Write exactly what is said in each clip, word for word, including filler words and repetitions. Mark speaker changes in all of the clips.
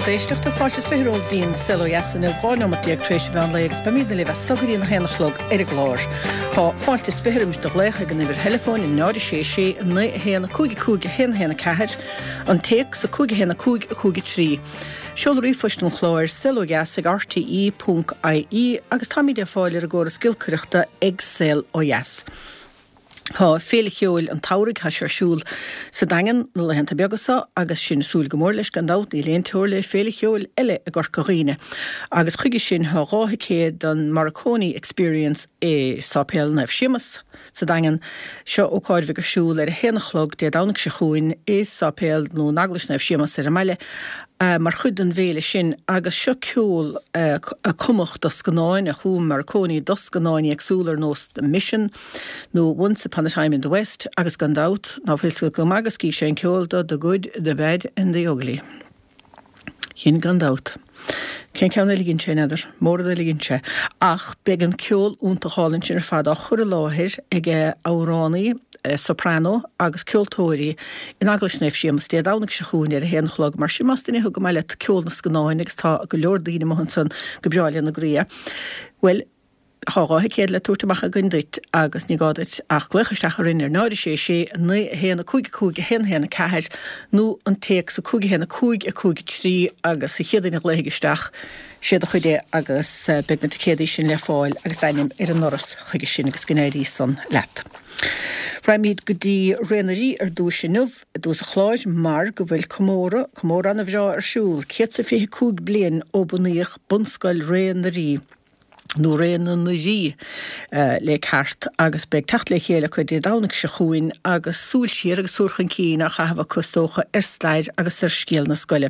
Speaker 1: Lucht éisteachta fáilte is fiche romhaibh dtí'n Saol Ó Dheas inniu dhá neomat déag tar éis an mheán lae agus beimid libh as so go dtí an haon a chlog ar an gclár. Tá fáilte is fiche roimis do ghlaoch ag an uimhir theileafóin náid a sé sé naoi a haon cúig a cúig a haon a haon a ceathair, an téacs a cúig a haon a cúig a cúig a trí. Seoladh ríomhphoist an chláir saolodheas ag rte ponc ie agus táimid ar fáil ar an gcóras giolcaireachta ag Saol Ó Dheas. Tá Féile Cheoil an tSamhraidh tá sé ar siúl sa Daingean na laethanta beaga seo agus sinn ag súil go mór leis gan dabht níl aon teora le Féile Cheoil eile i gCorca Dhuibhne. Agus chuige sin tá dhá thicéad don Morricone Experience i Sáipéal Naomh Séamus sa Daingean. Seo ócáid a bheidh ar siúl ar a haon a chlog Dé Domhnaigh seo chugainn i Sáipéal nó in Eaglais Naomh Séamus ar an mbaile mar chuid den bhféile sin agus seo ceol a cumadh do scannáin a chum Morricone do scannáin éagsúla ar nós The Mission nó Once Upon a Time in the West agus gan dabht ná fuil go maith agus scríobh sé an ceol do The Good, The Bad and The Ugly. Sin gan dabht. Cén ceann eile a dhein sé n'fheadar, mórán eile a dhein sé. Ach beidh an ceol iontach álainn sin ar fad á chur i láthair ag amhránaí soprano agus ceoltóirí in Eaglais Naomh Séamus Dé Domhnaigh seo chugainn ar a haon a chlog. Mar sin más duine thú go maith leat ceol na scannáin agus tá go leor daoine amuigh ansan go breá lena gcroí, bhuel, Tá dhá thicéad le tabhairt amach againn duit agus ní gá duit ach glaoch isteach orainn ar náid a sé sé naoi a haon a cúig a cúig a haon a haon a ceathair nó an téacs a cúig a haon a cúig a cúig a trí agus an chéad duine a ghlaofaidh isteach sé do chuid é agus beidh na ticéadaí sin le fáil agus d'ainm ar an ndoras chuige sin agus go n-éirí san leat. Raghaimid go dtí Ré na Rí ar dtúis inniu i dtús an chláir mar go bhfuil comóradh, comóradh ana bhreá ar siúl, céad 's a fiche cúig bliain ó bunaíodh Bunscoil Ré na Rí. nó Ré na nDoirí le ceart agus beidh teacht le chéile acu Dé Domhnaigh seo chugainn agus súil siar agus súil chun cinn á chaitheamh acu is dócha ar stair agus ar scéal na scoile.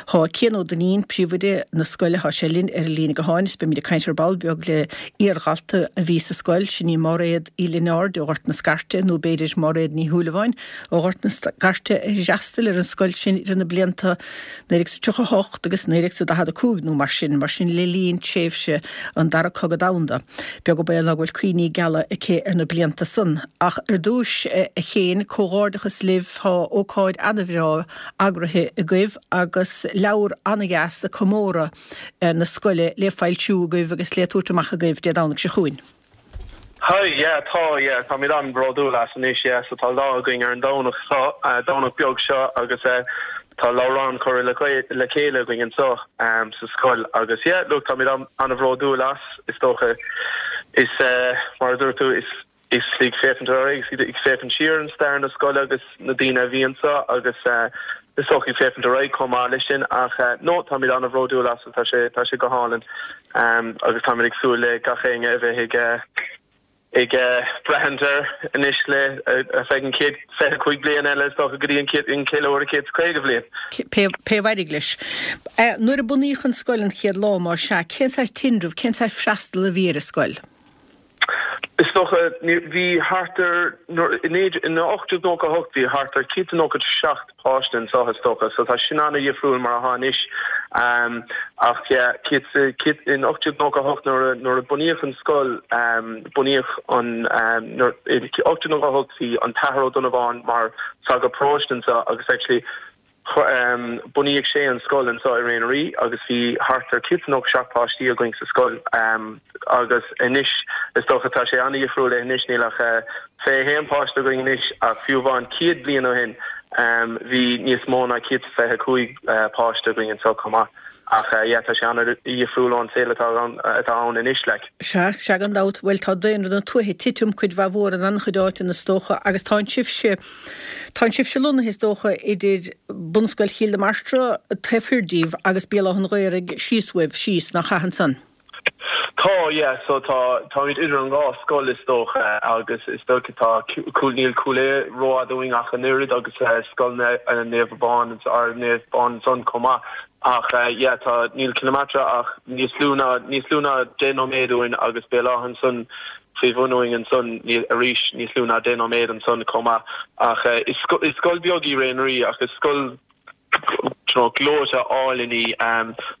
Speaker 1: Tá Cian Ó Duinnín, príomhoide na scoile, tá sé linn ar an líne gutháin is beimid ag caint ar ball beag le iardhalta a bhí sa scoil, sin í Máiréad Uí Lionáird ó Ghort na Scairte nó b'fhéidir Máiréad Ní Shúilleabháin ó Ghort na Scairte a d'fhreastail ar an scoil sin idir na blianta naoi déag tríocha a hocht agus naoi déag daichead a cúig nó mar sin, mar sin le linn tréimhse an Dara Cogadh Domhanda. Beag an baol ná go bhfuil cuimhní geala aici ar na blianta san. Ach ar dtúis, a Chéin, comhghairdeachas libh, tá ócáid ana-bhreá eagraithe agaibh agus leabhar ana-dheas ag comóradh na scoile le foilsiú agaibh agus le tabhairt amach agaibh Dé Domhnaigh seo chugainn.
Speaker 2: Hi, yeah, tá, yeah, táimid an-bhródúil as anois, yeah, so tá lá againn ar an Domhnach seo, Domhnach beag seo agus eh tá leabhrán curtha le le chéile againn anseo um sa scoil agus yeah, look, táimid an-bhródúil as, is dócha, is eh mar a dúirt tú, is is ag féachaint ar aghaidh, ag féachaint siar ar stair na scoile agus na daoine a bhí anseo agus eh is dócha ag féachaint ar aghaidh chomh maith leis sin ach eh no, táimid an-bhródúil as, tá sé tá sé go hálainn. Agus táimid ag súil le gach éinne a bheith ag ag breathnú air anois le ar feadh an chéad fiche cúig bliain eile is dócha go dtí an chéad an ceiliúradh céad is caoga bhliain.
Speaker 1: Pé pé a éireoidh leis. Nuair a bunaíodh an scoil an chéad lá, más ea, cén saghas tinreamh, cén saghas freastal a bhí ar an scoil?
Speaker 2: Is dócha, bhí thart ar, in ocht déag nócha a hocht bhí thart ar céad is nócha seacht páiste anseo is dócha, so tá sin an-dhifriúil mar atá anois. Ach yeah, céad, céad, in ocht déag nócha a hocht nuair a, nuair a bunaíodh an scoil, bunaíodh an, nuair, in ocht déag nócha a hocht bhí an tAthair Ó Donnabháin mar sagart paróiste anseo agus actually, Bunaíodh sé an scoil anseo i Ré na Rí agus bhí thart ar céad is nócha seacht páistí againn sa scoil agus anois is dócha tá sé an-dhifriúil anois níl ach fiche a haon páiste againn anois ach fiú amháin céad bliain ó shin bhí níos mó ná céad is fiche cúig páiste againn anseo chomh maith ach yeah tá sé an-dhifriúil ón saol atá atá ann anois like.
Speaker 1: Sea, sea gan dabht. Bhuel tá daonra na tuaithe ag titim cuid mhaith mhór in an-chuid áiteanna is dócha agus tá sibhse Tá sibhse lonnaithe is dócha idir Bunscoil Chill na Martra taobh thoir díbh agus Béal Átha an Ghaorthaidh síos uaibh, síos, nach ea ansan?
Speaker 2: Tá, yeah, so tá, táimid idir an dhá scoil is dócha agus is dócha tá Cúil, níl Cúil Aodha rófhada uainn ach an oiread agus Scoil Naomh Abán, Ard Naomh Abán ansan chomh maith ach yeah tá, níl Cill na Martra ach níos lú ná, níos lú ná deich nóiméad uainn agus Béal Átha ansan faoi bhun uainn ansan, arís níos lú ná deich nóiméad ansan chomh maith. Ach is scoil beag í Ré na Rí ach is scoil gleoite álainn í.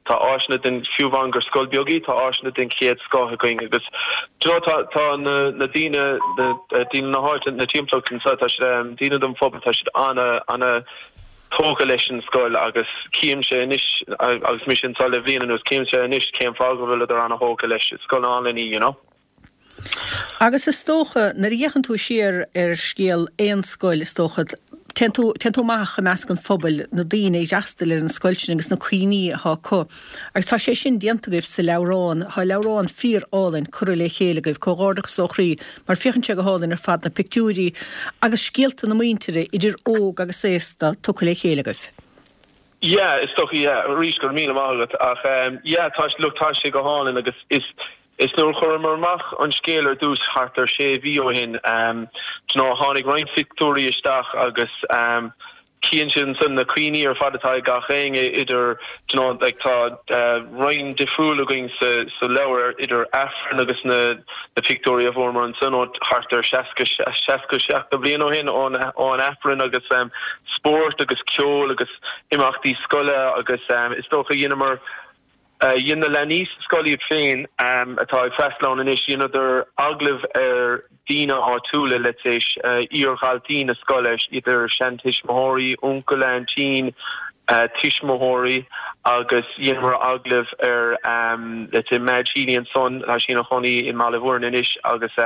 Speaker 2: Tá áiseanna den, fiú amháin gur scoil beag í, tá áiseanna den chéad scoth againn agus do you know tá tá na na daoine, na daoine na háite, na timpeallacht anseo, tá siad, daoine den phobal, tá siad ana, ana, tógtha leis an scoil agus címse anois agus mise anseo le bliain anuas címse anois cén fáth go bhfuileadar an-tógtha leis scoil álainn í you know.
Speaker 1: Agus is dócha nuair a fhéachann tú siar ar scéal aon scoil is dócha téann tú téann tú amach i measc an phobail, na daoine a d'fhreastail ar an scoil sin agus na cuimhní atá acu. Agus tá sé sin déanta agaibh sa leabhrán. Tá leabhrán fíor álainn curtha le chéile agaibh, comhghairdeachas ó chroí, mar féachann sé go hálainn ar fad na pictiúirí agus scéalta na muintire idir óg agus aosta tugtha le chéile agaibh.
Speaker 2: Yeah, is dócha yeah, arís go raibh míle maith agat ach um, yeah, tá look tá sé go hálainn agus is is nuair a chuireamar amach an scéal ar dtús thart ar sé mhí ó shin um, you know, tháinig roinnt pictiúirí isteach agus um, cíonn sin san na cuimhní ar fad atá ag gach éinne idir you know, like, tá uh, roinn difriúil againn sa, sa leabhar idir Aifreann agus na, na pictiúirí a fuaireamar ansan ó thart ar seasca seasca seacht bliain ó shin ón ón Aifreann agus um, spórt agus ceol agus imeachtaí scoile agus um, is dócha dheineamar Dhein na leanaí sa scoil iad féin atá ag freastal ann anois, dheineadar agallamh ar daoine áitiúla, let's say iar-dhaltaí na scoile, idir seantuismitheoirí, uncail, aintín, tuismitheoirí agus dheineamar agallamh ar let's say Madge Healy ansan, tá sí ina chónaí i mBaile Mhúirne anois agus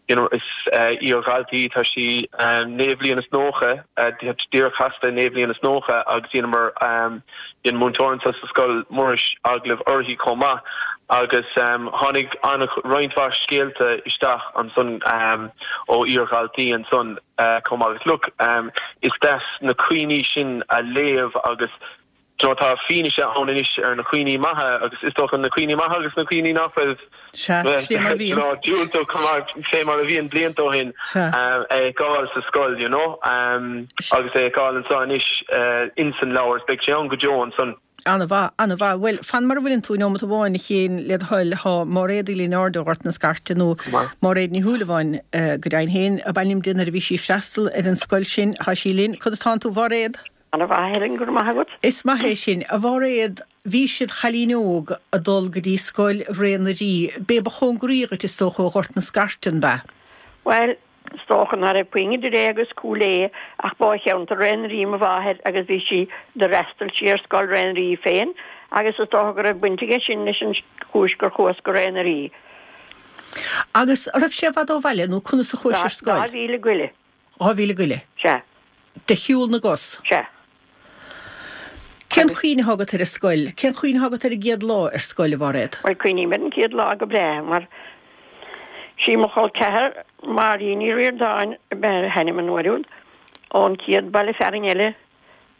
Speaker 2: you know is iar-dhalta í, tá sí naoi bhliain is nócha, díreach casta naoi bhliain is nócha agus dheineamar Dhein múinteoir anso sa scoil, Muiris, agallamh uirthi chomh maith agus tháinig roinnt mhaith scéalta isteach ansan ó iar-dhaltaí ansan chomh maith. Agus look, is deas na cuimhní sin a léamh agus do you know tá fianaise ann anois ar na cuimhní maithe agus is dócha na cuimhní maithe agus na cuimhní nach raibh
Speaker 1: Sea, fé mar a bhíonn.
Speaker 2: diúltach chomh maith fé mar a bhíonn blianta ó shin a fheiceáil sa scoil, you know, agus é a fheiceáil anso anois insan leabhar, is beidh sé ann go deo ansan.
Speaker 1: Ana-mhaith, ana-mhaith. Bhuel, fan mar a bhfuileann tú, nóimeat amháin, a Chéin, le do thoil, tá Máiréad Uí Lionáird ó Ghort na Scairte, nó Máiréad Ní Shúilleabháin go deimhin féin, ab ainm di nuair a bhí sí ag freastal ar an scoil sin, tá sí linn. Conas tánn tú, a Mháiréad?
Speaker 3: Ana-mhaith, Helen, go raibh maith agat.
Speaker 1: Is maith é sin. A Mháiréad, bhí sibh id chailín óg ag dul go dtí scoil Ré na Rí. B'é ba chóngaraí dhuit, is dócha, ó Ghort na Scairte, an b'ea?
Speaker 3: Bhuel, is dócha ná raibh puinn idir é agus Cúil Aodha ach ba ó cheantar Ré na Rí mo mháthair agus bhí sí, d'fhreastail sí ar scoil Ré na Rí féin agus is dócha go raibh baint aige sin leis an chúis gur chuas go Ré na Rí.
Speaker 1: Agus an raibh sé i bhfad ó bhaile nó conas a chuais ar scoil?
Speaker 3: Dhá mhíle goile.
Speaker 1: Dhá mhíle goile?
Speaker 3: Sea.
Speaker 1: De shiúl na gcos?
Speaker 3: Sea.
Speaker 1: Cén chuimhne atá agat ar an scoil? Cén chuimhne atá agat ar an gcéad lá ar scoil, a Mháiréad?
Speaker 3: Bhuel, cuimhním ar an chéad lá go breá mar sí mo chol ceathar, Máirín Ní Ríordáin ab ea a hainm an uair úd, ón chéad baile fearainn eile,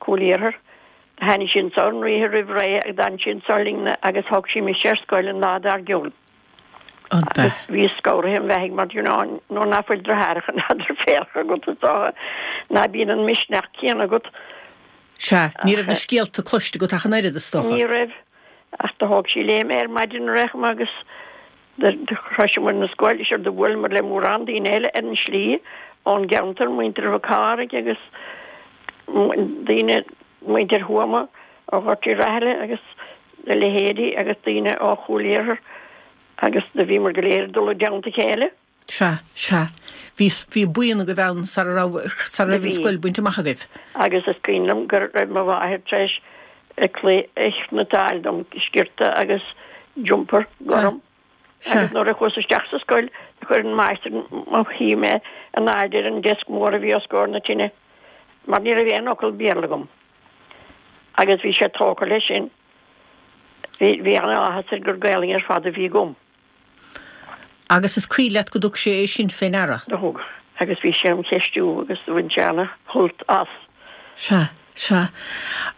Speaker 3: Cúil Iarthair. Do tháinig sí anso an oíche roimh ré agus d'fhan sí anso linne agus thóg sí mise ar scoil an lá dár gcionn. Agus bhíos scanraithe im bheathaidh mar, you know, nuair ná fuil deartháireacha ná deirféaracha agat is dócha ná bíonn an misneach céanna agat.
Speaker 1: Sea, ní raibh na scéalta cloiste agat ach an oiread, is dócha.
Speaker 3: Ní raibh, ach do thóg sí léi mé ar maidin ar aon chuma agus do shroiseamar an scoil, is do bhuaileamar le mórán daoine eile ar an slí ón gceantar, muintir Mhic Cárthaigh agus daoine, muintir Thuama ó Ghort Uí Rathaille agus a leithéidí agus daoine ó Chúil Iarthair. Agus do bhíomar go léir ag dul i dteannta a chéile.
Speaker 1: Sea, sea. Bhí, bhí buíon agaibh ann sara raibh, sara raibh an scoil bainte amach agaibh.
Speaker 3: Agus is cuimhin liom go raibh mo mháthair tar éis a claí a chniotáil dom, sciorta agus jumper gorm.
Speaker 1: Sea.
Speaker 3: Agus nuair a chuas isteach sa scoil do chuir an máistir mo shuí mé in airde ar an desk mór a bhí os comhair na tine mar ní raibh aon fhocal Béarla agam. Agus bhí sé tógtha leis sin. Bhí, bhí an-áthas air gur Gaelainn ar fad a bhí agam.
Speaker 1: Agus is cuimhin leat go dtug sé é sin fé ndeara?
Speaker 3: Do thug. Agus bhí sé im cheistiú agus do bhain sé ana-shult as.
Speaker 1: Sea, sea.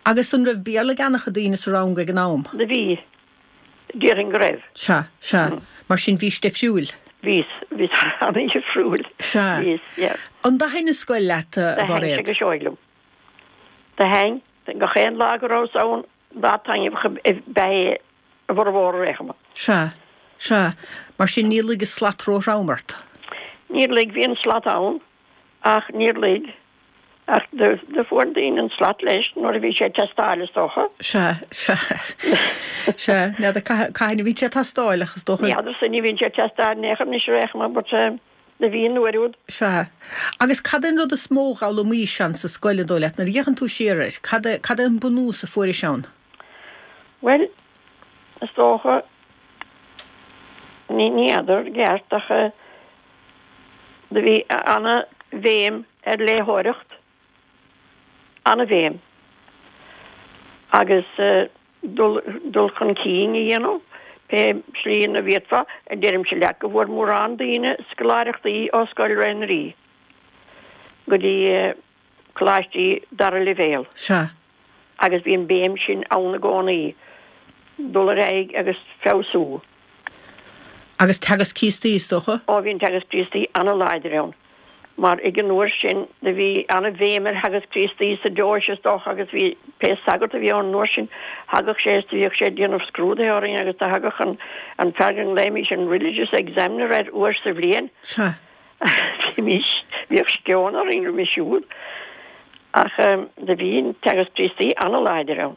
Speaker 1: Agus an raibh Béarla ag an-chuid daoine sa rang ag an am?
Speaker 3: Do bhí. Déarfainn go raibh.
Speaker 1: Sea, sea. Mar sin bhís difriúil?
Speaker 3: Bhíos, bhíos ana-dhifriúil.
Speaker 1: Sea.
Speaker 3: Bhíos, yeah.
Speaker 1: An dtaithin an scoil leat, a
Speaker 3: Do thaithin
Speaker 1: Mhairéad?
Speaker 3: sé go seoigh liom. Do thaithin. Gach aon lá go rabhas ann, Lá taitneamhach ab ea é a bhformhór ar aon chuma.
Speaker 1: Sea, sea. Mar sin níor luigh an slat róthrom ort?
Speaker 3: Níor luigh, bhí an slat ann ach níor luigh. Ach do fuair daoine an slat leis nuair a bhí sé ag teastáil is dócha.
Speaker 1: Sea, sea. Sea, n'fheadar cathain a bhíonn sé ag teastáil ach is dócha.
Speaker 3: N'fheadarsa, ní bhíonn sé ag teastáil in aon chor anois ar aon chuma but Do bhí an uair úd.
Speaker 1: Sea. Agus cad é an rud is mó a d'fhoghlaimís ann sa scoil an dóigh leat, nuair a fhéachann tú siar air, cad é, cad é an bunús a fuairis ann?
Speaker 3: Bhuel, is dócha, ní, ní fheadar i gceart ach do bhí ana-bhéim ar léitheoireacht, ana-bhéim. Agus dul, dul chun cinn a dhéanamh, pé slí ina bhféadfá, deirimse leat go bhfuair mórán daoine scoláireachtaí ó Scoil Ré na Rí go dtí coláistí dara leibhéal.
Speaker 1: Sea.
Speaker 3: Agus bhí an béim sin ann i gcónaí, dul ar aghaidh agus feabhsú.
Speaker 1: Agus Teagasc Críostaí, is dócha?
Speaker 3: Ó bhí an Teagasc Críostaí ana-láidir ann, mar ag an uair sin do bhí ana-bhéim ar Theagasc Críostaí sa deoise is dócha agus bhí pé sagart a bhí ann an uair sin, thagadh sé is do bhíodh sé ag déanamh scrúdaithe orainn agus do thagadh an an fear go nglaoimís an religious examiner air uair sa bhliain.
Speaker 1: Sea.
Speaker 3: Bhímís, bhíodh sceon orainn roimhe siúd ach do bhí an Teagasc Críostaí ana-láidir ann.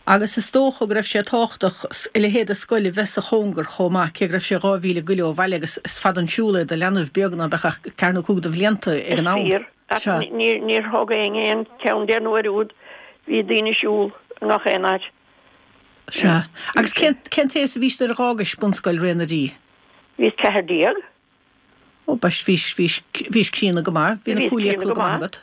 Speaker 1: Agus is dócha go raibh sé tábhachtach a leithéid de scoil a bheith sa chóngar chomh maith, cé go raibh sé dhá mhíle go leith ó bhaile agus is fada an siúl é do leanbh beag ná beadh ach ceathair nó cúig de bhlianta ag an am.
Speaker 3: Is fíor, ach níor thóg éinne aon cheann de an uair úd, bhí daoine ag siúl i ngach aon áit.
Speaker 1: Sea. Agus cén t-aos a bhís nuair a dh'fhágais bunscoil Ré na Rí?
Speaker 3: Bhíos ceathair déag.
Speaker 1: Ó, bhís, bhís, bhís, bhís críonna go maith, bhí na
Speaker 3: Bhíos
Speaker 1: cuaillí
Speaker 3: críonna
Speaker 1: go
Speaker 3: go
Speaker 1: maith
Speaker 3: maith.
Speaker 1: agat.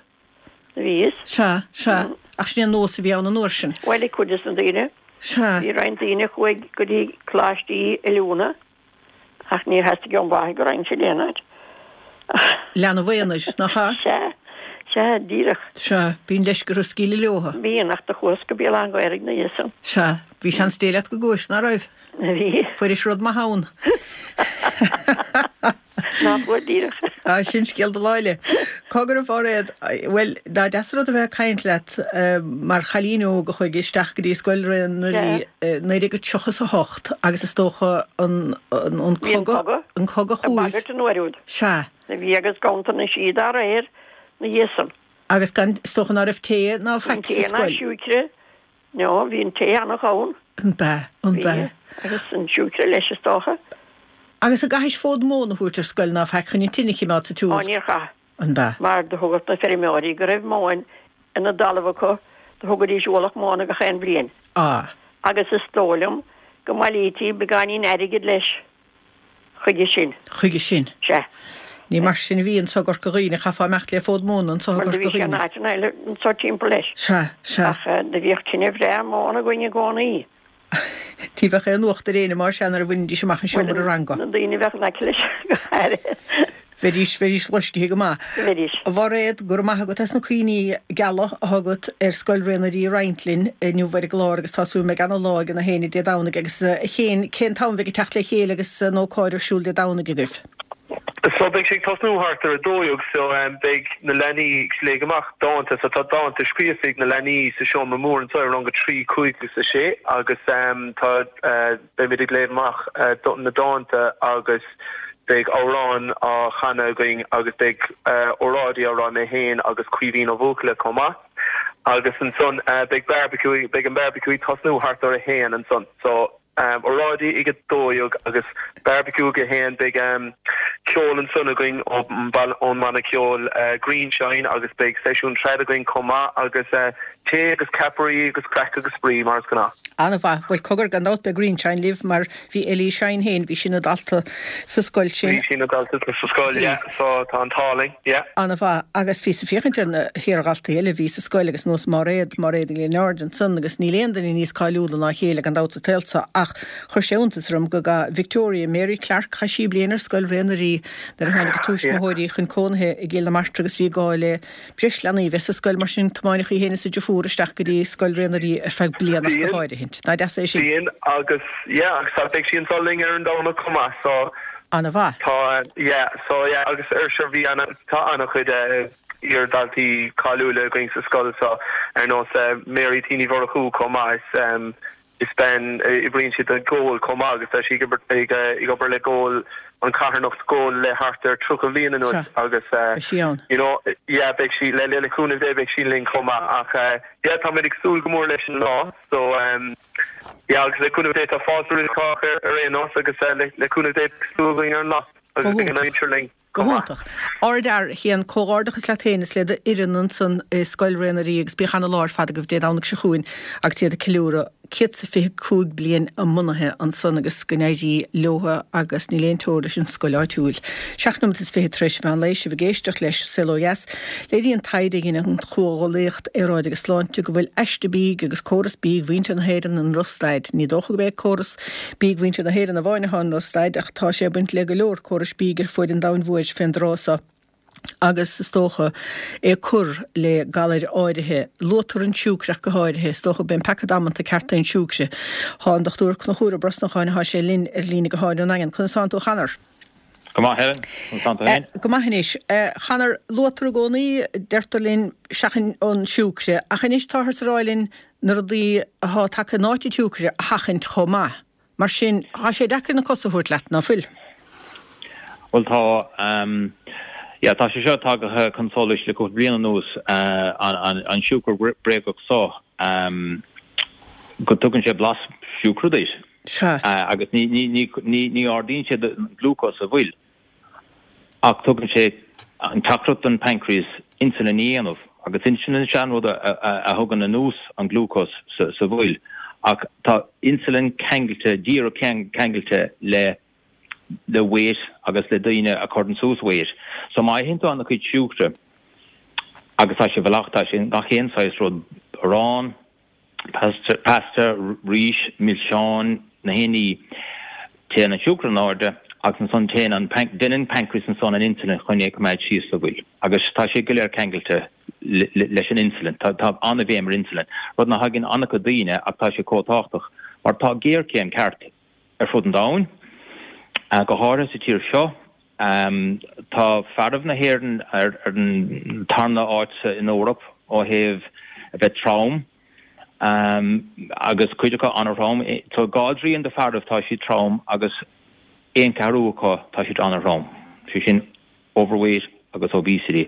Speaker 3: Bhíos.
Speaker 1: Sea, sea. Ach sin é an nós a bhí ann an uair sin.
Speaker 3: Bhuel, ag cuid des na daoine.
Speaker 1: Sea.
Speaker 3: Bhí roinnt daoine a chuaigh go dtí coláistí oiliúna ach níor theastaigh ón mháthair go raghainn siad aon áit.
Speaker 1: Leanbh aonair, nach ea?
Speaker 3: Sea, sea, díreach.
Speaker 1: Sea, bíonn leisce orthu scaoileadh leothu.
Speaker 3: Bíonn, ach do chuas go Béal Átha an Ghaorthaidh ina dhiaidh san.
Speaker 1: Sea, bhí seans Dé leat go gcuais, ná raibh?
Speaker 3: Bhí.
Speaker 1: Fuairis rud maith ann.
Speaker 3: Ná fuair díreach.
Speaker 1: Á, sin scéal do lá eile. Cogar a Mháiréad, bhuel, dá deas an rud a bheith ag caint leat mar chailín óg a chuaigh isteach go dtí Scoil Ré na Rí i naoi déag tríocha is a hocht agus is dócha an, an, an
Speaker 3: Bhí an
Speaker 1: cogadh,
Speaker 3: cogadh
Speaker 1: an cogadh
Speaker 3: ag
Speaker 1: chugaibh.
Speaker 3: bagairt an uair úd.
Speaker 1: Sea.
Speaker 3: Bhí agus ganntanais dá réir ina dhiaidh san.
Speaker 1: Agus gan, is dócha ná raibh tae ná
Speaker 3: Bhí
Speaker 1: faic sa
Speaker 3: tae ná
Speaker 1: scoil.
Speaker 3: siúicre. No, bhí an tae an-ghann.
Speaker 1: An b'ea, an
Speaker 3: Bhí,
Speaker 1: b'ea.
Speaker 3: agus an siúicre leis is dócha.
Speaker 1: Agus an gcaithis fód móna a thabhairt ar scoil ná faic chun an tine a choimeád sa
Speaker 3: Ó,
Speaker 1: tsiúl?
Speaker 3: níor chaith.
Speaker 1: An b'ea?
Speaker 3: Mar do thugadh na feirmeoirí go raibh móin ina dtalamh acu, do thugaidís ualach móna gach aon bhliain.
Speaker 1: Á.
Speaker 3: Agus is dóigh liom go mbailítí beagáinín airgid leis chuige sin.
Speaker 1: Chuige sin?
Speaker 3: Sea.
Speaker 1: Ní mar sin a bhí anso i gCorca Dhuibhne, chaithfeá imeacht le fód móna anso i
Speaker 3: Bhuel, do
Speaker 1: gCorca
Speaker 3: bhí sé in
Speaker 1: Dhuibhne.
Speaker 3: áiteanna eile anso timpeall leis.
Speaker 1: Sea, sea.
Speaker 3: Ach do bhíodh tine bhreá móna againn i gcónaí.
Speaker 1: Ní bheadh aon uacht ar éinne mar sea nuair a bhainidís amach an seomra ranga.
Speaker 3: Na daoine a bheadh in aice leis go háirithe.
Speaker 1: Bheidís, bheidís loiscthe go maith.
Speaker 3: Bheidís.
Speaker 1: A Mháiréad, go raibh maith agat as na cuimhní geala atá agat ar Scoil Ré na Rí a roinnt linn inniu ar an gclár agus tá súil go mbeidh ana-lá ag na héinne Dé Domhnaigh agus a Chéin, cén t-am a bheidh ag teacht le chéile agus an ócáid ar siúl Dé Domhnaigh agaibh?
Speaker 2: So beidh sé ag tosnú thart ar a dó dhéag so beidh na leanaí ag léamh amach dánta so tá dánta scríofa ag na leanaí sa seomra mór anseo i rang a trí, cúig agus a sé agus tá beimid ag léamh amach na dánta agus beidh amhráin á chanadh againn agus beidh óráidí á rá mé féin agus Caoimhín Ó Buachalla chomh maith agus ansan beidh barbecue beidh an barbecue ag tosnú thart ar a haon ansan so Óráidí ag a dó dhéag agus barbecue ag a haon. Beidh ceol ansan againn ón mbanna ceoil Greenshine agus beidh seisiún trad againn chomh maith agus tae agus ceapairí agus craic agus spraoi mar is gnáth.
Speaker 1: An-mhaith. Bhuel cogar, gan dabht beidh Greenshine libh mar bhí Ellie Shine féin, bhí sí ina dalta sa scoil sin.
Speaker 2: Bhí sí ina dalta sa scoil, yeah, so tá an t-ádh linn, yeah.
Speaker 1: An-mhaith. Agus bhíos ag féachaint ar na hiardhaltaí eile a bhí sa scoil agus nós Máiréad, Máiréad Ní Lionáird ansan agus níl aon duine níos cáiliúla ná a chéile gan dabht sa tsaol seo ach chuir sé iontas orm go gcaith Victoria Mary Clarke, chaith sí bliain ar scoil Ré na Rí nuair a tháinig a tuismitheoirí chun cónaithe i gCill na Martra agus bhí gá le breis leanaí a bheith sa scoil mar sin tiomáineadh í féin is a deirfiúr isteach go dtí scoil Ré na Rí ar feadh bliana ach go háirithint. Nach deas é sin?
Speaker 2: Bíonn agus yeah agus tá beidh sí anso linn ar an Domhnach chomh maith so
Speaker 1: An-mhaith.
Speaker 2: Tá yeah so yeah agus ar sure bhí ana tá ana-chuid iar-dhaltaí cáiliúla againn sa scoil so ar nós Mary T Ní Mhurchú chomh maith is is bean oibríonn sí do Goal chomh maith agus tá sí ag ag ag obair le Goal an carthanacht Goal le thart ar tríocha bhliain anuas
Speaker 1: Sea
Speaker 2: agus
Speaker 1: beidh sí ann.
Speaker 2: you know yeah beidh sí le le cúnamh Dé beidh sí linn chomh maith ach yeah táimid ag súil go mór leis an lá so yeah agus le cúnamh Dé tá fáilte roimh chách ar ar aon nós agus le le cúnamh Dé beidh súil againn ar an lá. agus beidh an aimsir linn.
Speaker 1: Go hiontach. Ardfhear, a Chéin, comhghairdeachas leat féin is le d'fhoireann ansan i Scoil Ré na Rí agus bíodh ana-lá ar fad agaibh Dé Domhnaigh seo chugainn agus iad ag ceiliúradh céad 's a fiche cúig bliain a mbunaithe ansan agus go n-éirí leotha agus níl aon teora leis an scoil áitiúil. Seacht nóiméad is fiche tar éis mheán lae, sibh ag éisteacht leis Saol Ó Dheas. Léiríonn taighde a dhein an Chomhghuaillíocht Aeráide agus Sláinte go bhfuil aiste bídh agus córas bídh mhuintir na hÉireann i ndrochstaid. Ní dócha gurb é córas bídh mhuintir na hÉireann amháin atá i ndrochstaid ach tá sé ag baint le go leor córais bídh ar fuaid an domhain mhóir fén dtráth so agus is dócha é ag cur le galair áirithe. Luaitear an siúcra ach go háirithe. Is dócha gurb é an peaca damanta ceart é an siúcra. Tá an Dochtúir Conchúr Ó Brosnacháin atá sé linn ar líne gutháin ón nDaingean. Conas tánn tú a Chonor?
Speaker 4: Go maith Helen, conas tánn tú féin?
Speaker 1: Go maith anois. A Chonor, luaitear i gcónaí, deirtear linn, seachain an siúcra, ach anois táthar ag rá linn na rudaí atá tagtha in áit an tsiúcra a sheachaint chomh maith. Mar sin, tá sé deacair na cosa a thabhairt leat, ná fuil?
Speaker 4: Bhuel tá, yeah, tá sé seo tagaithe chun solais le cúpla bliain anuas, an siúcra bréagach so, go dtugann sé blas siúcra duit.
Speaker 1: Sea.
Speaker 4: Agus ní, ní, ní, ní, ní ardaíonn sé do glúcós sa bhfuil. Ach tugann sé an teachtaireacht don pancreas insulin a dhéanamh, agus insulin is ea an rud a thugann anuas an glúcós sa bhfuil. Ach tá insulin ceangailte, díreach ceangailte le le weight agus le daoine a chuireann suas weight. So má itheann tú an-chuid siúcra, agus tá sé bhfuil, tá sé in gach aon saghas rud, arán, pasta, rís, milseáin, na haon ní, téann an siúcra in airde agus ansan téann an, déanann an pancreas ansan an insulin chun é a choimeád síos sa bhfuil. Agus tá sé go léir ceangailte leis an insulin. Tá tá an-bhéim ar insulin, rud nach dtuigeann an-chuid daoine ach tá sé chomh tábhachtach mar tá géarchéim ceart ar fud an domhain, go háirithe sa tír seo. Tá fearaibh na hÉireann ar an tarna áit in Eoraip ó thaobh a bheith trom, agus cuid acu an-throm. So dhá dtrian de fearaibh tá siad trom agus aon cheathrú acu tá siad an-throm, sé sin overweight agus obesity.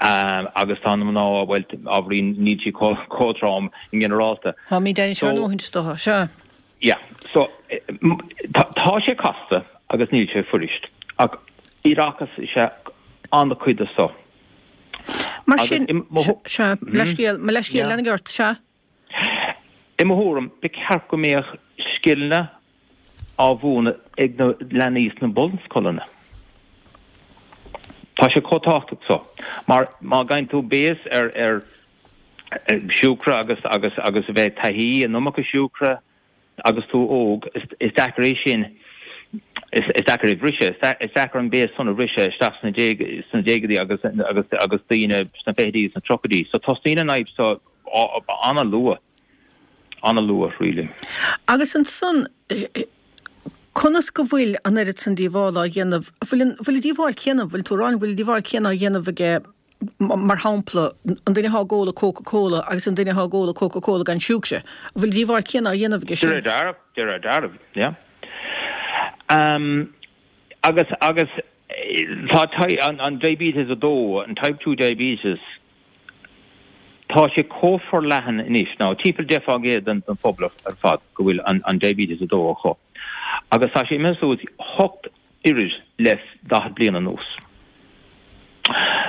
Speaker 4: Agus tá na mná, bhuel, ábhairín níl siad chomh trom i nginearálta.
Speaker 1: Táimid anois ar ndóigh, is dócha. Sea.
Speaker 4: Yeah. So, tá sé casta agus níl sé fuirist. Ach iarrachas is ea an-chuid de so.
Speaker 1: Mar sin, sea, leithscéal, mo leithscéal, lean ort, sea.
Speaker 4: I mo thuairim, ba cheart go mbeadh scileanna á mhúineadh ag na leanaí sna bunscoileanna. Tá sé chomh tábhachtach so. Mar má gheibheann tú béas ar ar siúcra agus agus agus a bheith taithí an iomarca siúcra agus tú óg, is deacair é sin, is deacair é a bhriseadh, is deacair an béas san a bhriseadh isteach sna sna déagaidí agus agus agus daoine sna fichidí agus sna tríochaidí. So tosaíonn an fhadhb so an-luath, an-luath really.
Speaker 1: Agus ansan, conas go bhfuil an oiread san díobhála á dhéanamh, bhfuil an, bhfuil an díobháil céanna, bhfuil tú ag rá, bhfuil an díobháil céanna á dhéanamh aige, mar shampla, an duine atá ag ól a Coca Cola agus an duine atá ag ól a Coca Cola gan siúcra, an bhfuil an díobháil céanna á dhéanamh aige
Speaker 4: sin? De réir dealraimh, de réir dealraimh, yeah. Um, agus, agus tá an, an diabetes a dó, an type two diabetes, Tá sé chomh forleathan anois, now timpeall deich fán gcéad den phobal ar fad go bhfuil an diabetes a dó acu, agus tá sé imithe suas hocht oiread le daichead bliain anuas.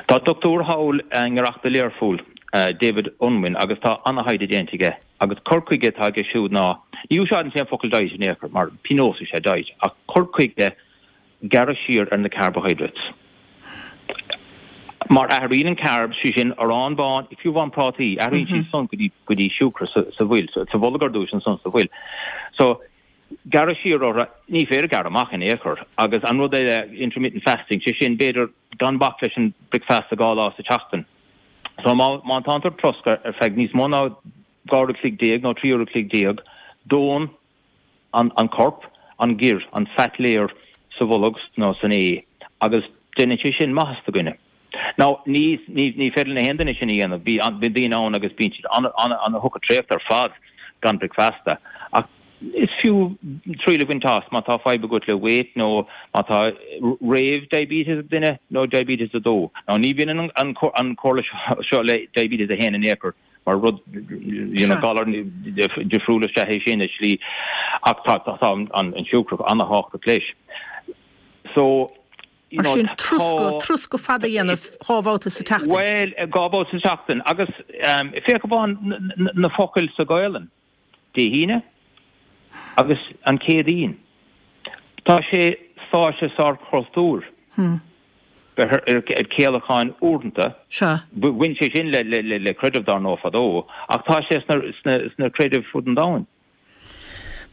Speaker 4: Tá dochtúir thall i ngiorracht do Learpholl, David Unwin, agus tá an-thaighde déanta aige, agus cur chuige atá aige siúd ná, ní úsáideann sé an focal diet in aon chor, mar pionós is ea diet, ach cur chuige gearradh siar ar na carbohydrates. Mar athraíonn an carbs, sé sin arán bán, fiú amháin prátaí, athraíonn siad san go dtí go dtí siúcra sa sa bhfuil, sa bholg ar dtús ansan sa bhfuil. So, gearradh siar orthu, ní féidir gearradh amach in aon chor. Agus an rud eile, intermittent fasting, sé sin b'fhéidir gan bac leis an bricfeasta dhá lá sa tseachtain. So má má tánn tú ag troscadh ar feadh níos mó ná dhá uair a chloig déag nó trí uair a chloig déag, dónn an corp, an gir, an fat layer sa bholg nó san ae agus déanann sé sin maitheas do dhuine. Now, ní, ní, ní féidir le haon duine sin a dhéanamh, bíonn daoine ann agus bíonn siad an-tugtha traochta ar fad gan bricfeasta. Ach is fiú triail a bhaint as má tá fadhb agat le weight nó má tá réamh-diabetes ag duine nó diabetes a dó. Now, ní bhaineann an, an comhairle seo le diabetes a haon in aon chor. Mar rud, you know, galar difriúil is ea é sin i slí, ach tá, tá an siúcra an-thábhachtach leis. So,
Speaker 1: Mar sin troscadh troscadh fada a dhéanamh dhá bhabhta sa tseachtain.
Speaker 4: Bhuel, dhá bhabhta sa tseachtain agus féach amháin na focail sa Ghaelainn, Dé hAoine agus an Chéadaoin. Tá sé sáite sár chultúr bheith ar céalacháin uaireanta.
Speaker 1: Sea.
Speaker 4: Bhain sé sin le creideamh dar ndóigh fadó ach tá sé sna creidimh fud an domhain.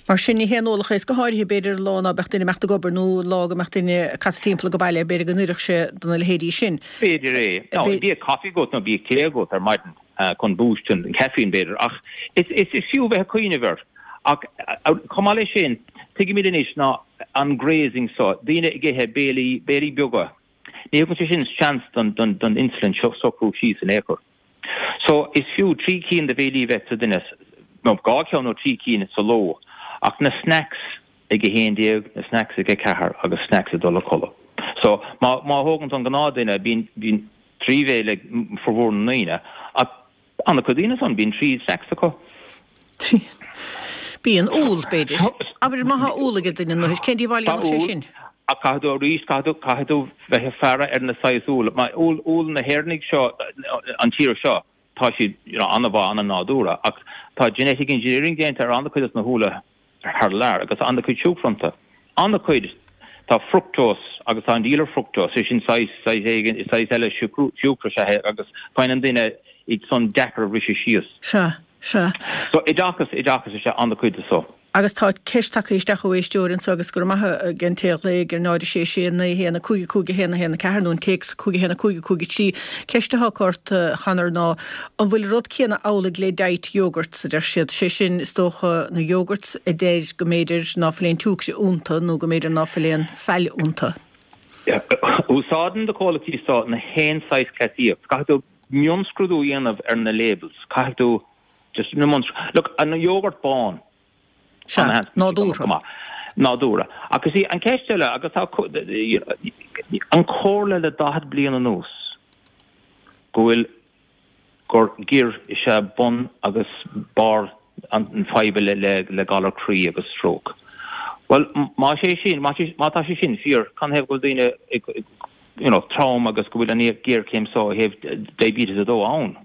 Speaker 1: Mar sin, ní haon ualach é, is go háirithe, b'fhéidir, an lá ná beadh duine ag imeacht ag obair nó an lá go mbeadh duine ag casadh timpeall ag baile, b'fhéidir go n-oirfeadh sé do na leithéidí sin.
Speaker 4: B'fhéidir é. Nó bíodh caife agat nó bíodh tae agat ar maidin chun boost an caiféin, b'fhéidir. Ach is fiú bheith ag cuimhneamh air. Ach chomh maith leis sin, tuigimid anois ná an grazing so, daoine ag ithe béilí, béilí beaga, ní thugann sé sin seans don insulin socrú síos in aon chor. So, is fiú trí cinn de bhéilí a bheith sa duine, nó dhá cheann nó trí cinn sa ló, ach na snacks ag a haon déag, na snacks ag a ceathair agus snacks ag dul a codladh. So, má má thógann tú an gnáthduine, bíonn bíonn trí bhéile ag formhór na ndaoine, ach an-chuid daoine ansan, bíonn trí snacks acu.
Speaker 1: Bíonn úll, b'fhéidir. Abair má tá úll ag duine, nó cén díobháil a
Speaker 4: Tá
Speaker 1: dhéanfadh sé
Speaker 4: úll,
Speaker 1: sin?
Speaker 4: ach caithfidh tú arís, caithfidh tú, caithfidh tú bheith ag faire ar na saghas úll. Má úll, úll na hÉireannaigh seo, an tír seo, Tá siad you know an-mhaith, an-nádúrtha ach tá genetic engineering déanta ar an-chuid de na húlla thar lear agus an-chuid siúcra iontu. An-chuid. Tá fructose agus tá an díol ar fructose, sé sin saghas, saghas éigin, saghas eile siúcra is ea é agus faigheann an duine iad san deacair a bhriseadh síos.
Speaker 1: Sea, sea.
Speaker 4: So oideachas, oideachas is ea an-chuid de so.
Speaker 1: Agus tá ceist tagtha isteach ó éisteoir anseo agus go raibh maith ag an té a ghlaoigh ar náid a sé sé naoi a haon a cúig a cúig a haon a haon a ceathair nó an téacs cúig a haon a cúig a cúig a trí. Ceist atá acu ort, a Chonor, ná an bhfuil an rud céanna amhlaidh le diet yogurts, a deir siad. Sé sin, is dócha, na yogurts a deir go mb'fhéidir ná fuil aon tsiúcra iontu nó go mb'fhéidir ná fuil aon feoil iontu.
Speaker 4: Úsáideann na comhlachtaí seo na haon saghas cleasaíocht. Caithfidh tú mionscrúdú a dhéanamh ar na labels. Caithfidh tú just na mionscrúdú. Look, an yogurt bán,
Speaker 1: Sea, nádúrtha.
Speaker 4: Nádúrtha. Ach is í an ceist eile, agus tá an comhairle le daichead bliain anuas go bhfuil gur gior is ea bun agus barr an fadhb le galar croí agus stróc. Bhuel, más é sin, má tá sé sin fíor, canathaobh go bhfuil daoine you know trom agus go bhfuil an ghéarchéim seo ó thaobh diabetes a dó ann?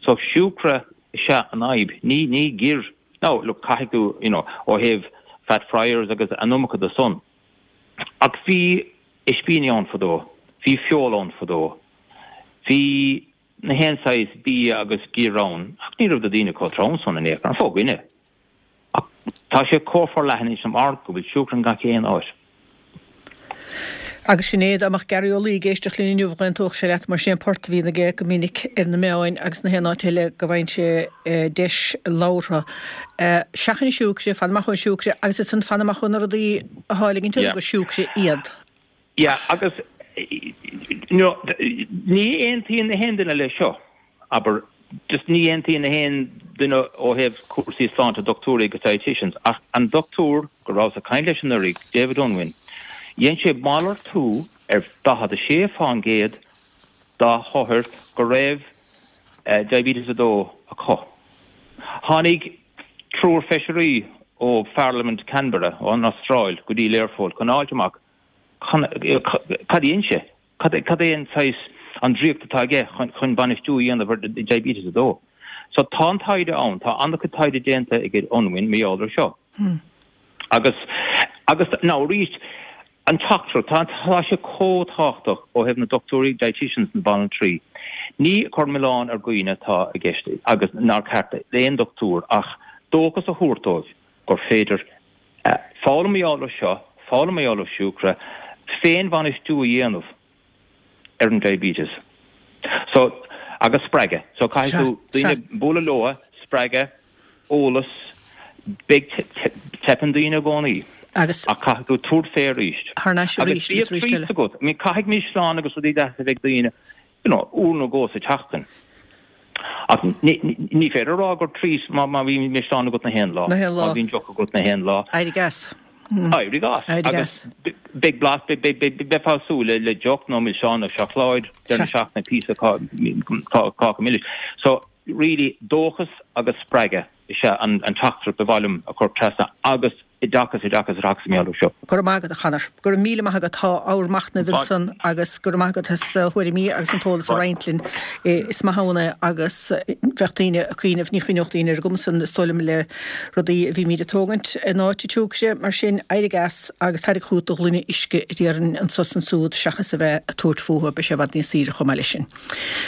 Speaker 4: So siúcra is ea an fhadhb, ní ní gior. Now, look, caithfidh tú, you know, ó thaobh fat fryers agus an iomarca de san. Ach bhí ispíní ann fadó, bhí feoil ann fadó, bhí na haon saghas bia agus gior ann, ach ní raibh na daoine chomh trom san in aon chor, an fo-dhuine. Ach tá sé chomh forleathan anois mar go bhfuil siúcra in gach aon áit.
Speaker 1: Agus sin é, dá mbeadh Gary Ó Laoi ag éisteacht linn inniu, dh'aontódh sé leat, mar sin é an port a bhíonn aige go minic ar na meáin agus na haon áit eile go bhfaigheann sé deis labhartha. Seachain an siúcra, fan amach ón siúcra, agus ansan fan amach ó na rudaí atá ag ligint orthu gur siúcra iad.
Speaker 4: Yeah, agus you know, ní aontaíonn na haon duine leis seo, abair, Just ní aontaíonn na haon duine ó thaobh cúrsaí sláinte, dochtúirí agus dietitians, ach an dochtúir go rabhas ag caint leis anuraidh, David Unwin, dhein sé malartú ar daichead a sé fán gcéad dá hothair go raibh diabetes a dó acu. Tháinig triúr feisirí ó Pharlaimint Canberra, ón Astráil, go dtí Learpholl chun fháilt amach cad a dhein sé. Cad é an saghas, an draíocht atá aige chun bainistiú a dhéanamh ar diabetes a dó? So tá an taighde ann, tá an-chuid taighde déanta ag Unwin mar gheall ar seo. Agus, agus now arís, an teachtaireacht, tá, tá sé chomh tábhachtach ó thaobh na dochtúirí, dietitians, na banaltraí. Ní cur milleán ar dhaoine atá i gceist agus nár cheart d'aon dochtúir ach dóchas a thabhairt dóibh gur féidir Foghlaim mar gheall ar seo, foghlaim mar gheall ar siúcra, féinbhainistiú a dhéanamh ar an diabetes. So, agus spreagadh. So caithfidh tú daoine bualadh leo, spreagadh, eolas, beidh, teipeann daoine i gcónaí.
Speaker 1: Agus.
Speaker 4: Ach caithfidh tú tabhairt fé arís.
Speaker 1: Thar n-ais arís
Speaker 4: agus arís eile. Agat. I mean, caithfidh milseáin agus rudaí deasa a bheith ag daoine, you know, uair nó dhó sa tseachtain. Ach ní féidir a rá gur treat má bhíonn milseán agat na haon lá, má bhíonn deoch agat na haon lá.
Speaker 1: Éirigh as.
Speaker 4: Éirigh as.
Speaker 1: Éirigh as.
Speaker 4: Beidh blas, beifeá ag súil le deoch nó milseán nó seacláid deireadh na seachtaine, píosa cáca milis. So, really, dóchas agus spreagadh is ea an teachtaireacht ba mhaith liom a chur trasna agus oideachas, oideachas, oideachas mar gheall air seo.
Speaker 1: Go raibh maith agat, a Chonor. Go raibh míle maith agat. Tá ábhar machnaimh ansan agus go raibh maith agat as do thuairimí agus an t-eolas a roinnt linn. Is maith ann é agus bheadh daoine ag cuimhneamh, ní chuimhneodh daoine ar an gcuma san is dóigh liom le rudaí a bhímid ag tógaint in áit an tsiúcra. Mar sin, éirigh as agus tarraing chugat do ghloine uisce a déarfainn anso is ansúd seachas a bheith ag tabhairt fúthu. Beidh sé i bhfad níos saoire chomh maith leis sin.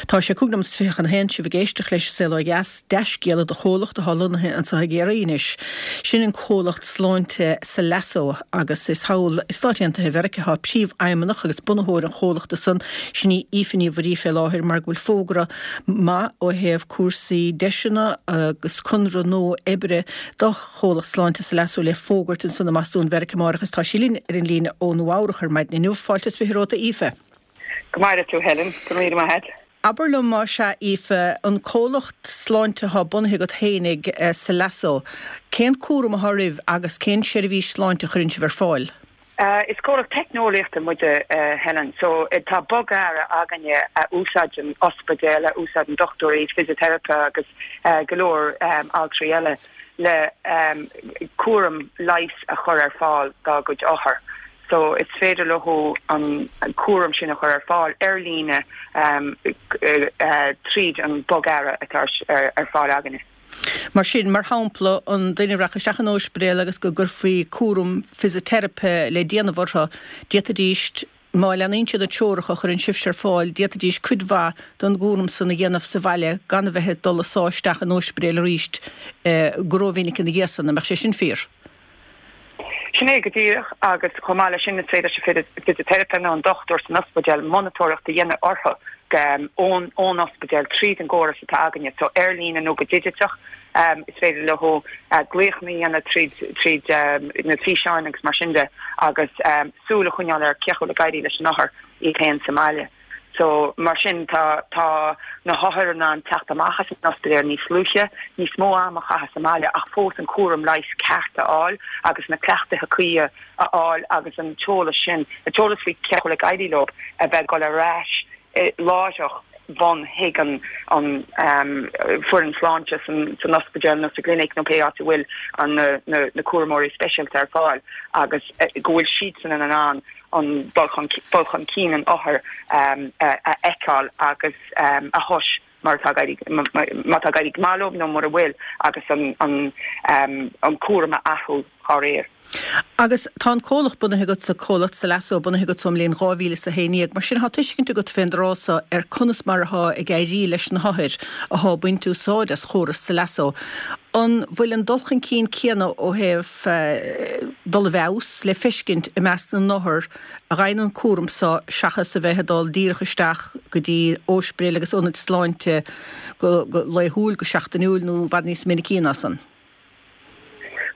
Speaker 1: Tá sé cúig nóiméad is fiche chun a haon, sibh ag éisteacht leis An Saol Ó Dheas, dea-scéala do chomhlacht atá lonnaithe anseo i gCiarraí anois. Sin an comhlacht sláinte Salasso agus is thall i Stáit Aontaithe Mheiriceá atá príomhfheidhmeannach agus bunaitheoir an chomhlachta san, sin í Aoife Ní Mhuirí fé láthair mar go bhfuil fógra maith ó thaobh cúrsaí deiseanna agus conradh nua oibre do chomhlacht sláinte Salasso le fógairt ansan i mBostún Mheiriceá amárach agus tá sí linn ar an líne ó Nua Eabhrach ar maidin inniu. Fáilte is fiche romhat a Aoife.
Speaker 5: Go maire tú Helen, go raibh míle maith agat.
Speaker 1: Abair liom más ea, Aoife, an comhlacht sláinte atá bunaithe agat fhéinig, Salasso, cén cúram atá oraibh agus cén seirbhís sláinte a chuireann sibh ar fáil?
Speaker 5: Is comhlacht teicneolaíochta muide, Helen, so tá bogearra againne a úsáideann ospidéil, a úsáideann dochtúirí, fisiteiripe agus go leor altraí eile le cúram leighis a chur ar fáil dá gcuid othar. So is féidir leo an cúram sin a chur ar fáil ar líne tríd an bogearra atá ar fáil againne.
Speaker 1: Mar sin, mar shampla, an duine a rachadh isteach in ospidéal agus go gcuirfí cúram fisiteiripe le déanamh orthu, d'fhéadfaidís, má leanaíonn siad na treoracha a chuireann sibhse ar fáil, d'fhéadfaidís cuid mhaith den gcúram san a dhéanamh sa bhaile gan a bheith ag dul ag sá isteach in ospidéal arís go rómhinic ina dhiaidh san. An mbeadh sé sin fíor?
Speaker 5: Sin é go díreach, agus chomh maith leis sin is féidir leis an bhfisiteiripe nó an dochtúir san ospidéal monatóireacht a dhéanamh orthu ón ón ospidéal tríd an gcóras atá againne, so ar líne nó go digiteach. Is féidir leo glaochanna a dhéanamh tríd tríd na físeáin agus mar sin de agus súil a choinneáil ar cén chaoi a bhfuil ag éirí leis an othar iad féin sa mbaile. So, mar sin, tá, tá na hothair in ann teacht amach as an ospidéal níos luaithe, níos mó am a chaitheamh sa mbaile ach fós an cúram leighis ceart a fháil agus na cleachtaithe cuí a fháil agus an t-eolas sin, an t-eolas faoi cén chaoi a bhfuil ag éirí leo a bheith ag dul ar ais láithreach bonn chuig an, an foireann sláinte san, san ospidéal nó sa gclinic nó pé áit a bhfuil an, na, na, na cúramóirí speisialta ar fáil agus go bhfuil siadsan in ann an dul chun cinn an othair a fheiceáil agus a thomhas mar atá ag éirí, má tá ag éirí go maith leo nó mura bhfuil agus an cúram a athrú dá réir.
Speaker 1: Agus tá an comhlacht bunaithe agatsa, comhlacht Salasso, bunaithe agat ón mbliain dhá mhíle is a haon déag, mar sin tá tuiscint agat fén dtráth so ar conas mar atá ag éirí leis na hothair atá ag baint úsáid as chóras Salasso. An bhfuil an dul chun cinn céanna ó thaobh dul i bhfeabhas le feiscint i measc na n-othar a fhaigheann an cúram so seachas a bheith ag dul díreach isteach go dtí óispidéil agus ionaid sláinte go laethúil, go seachtainiúil nó i bhfad níos minicí ná san?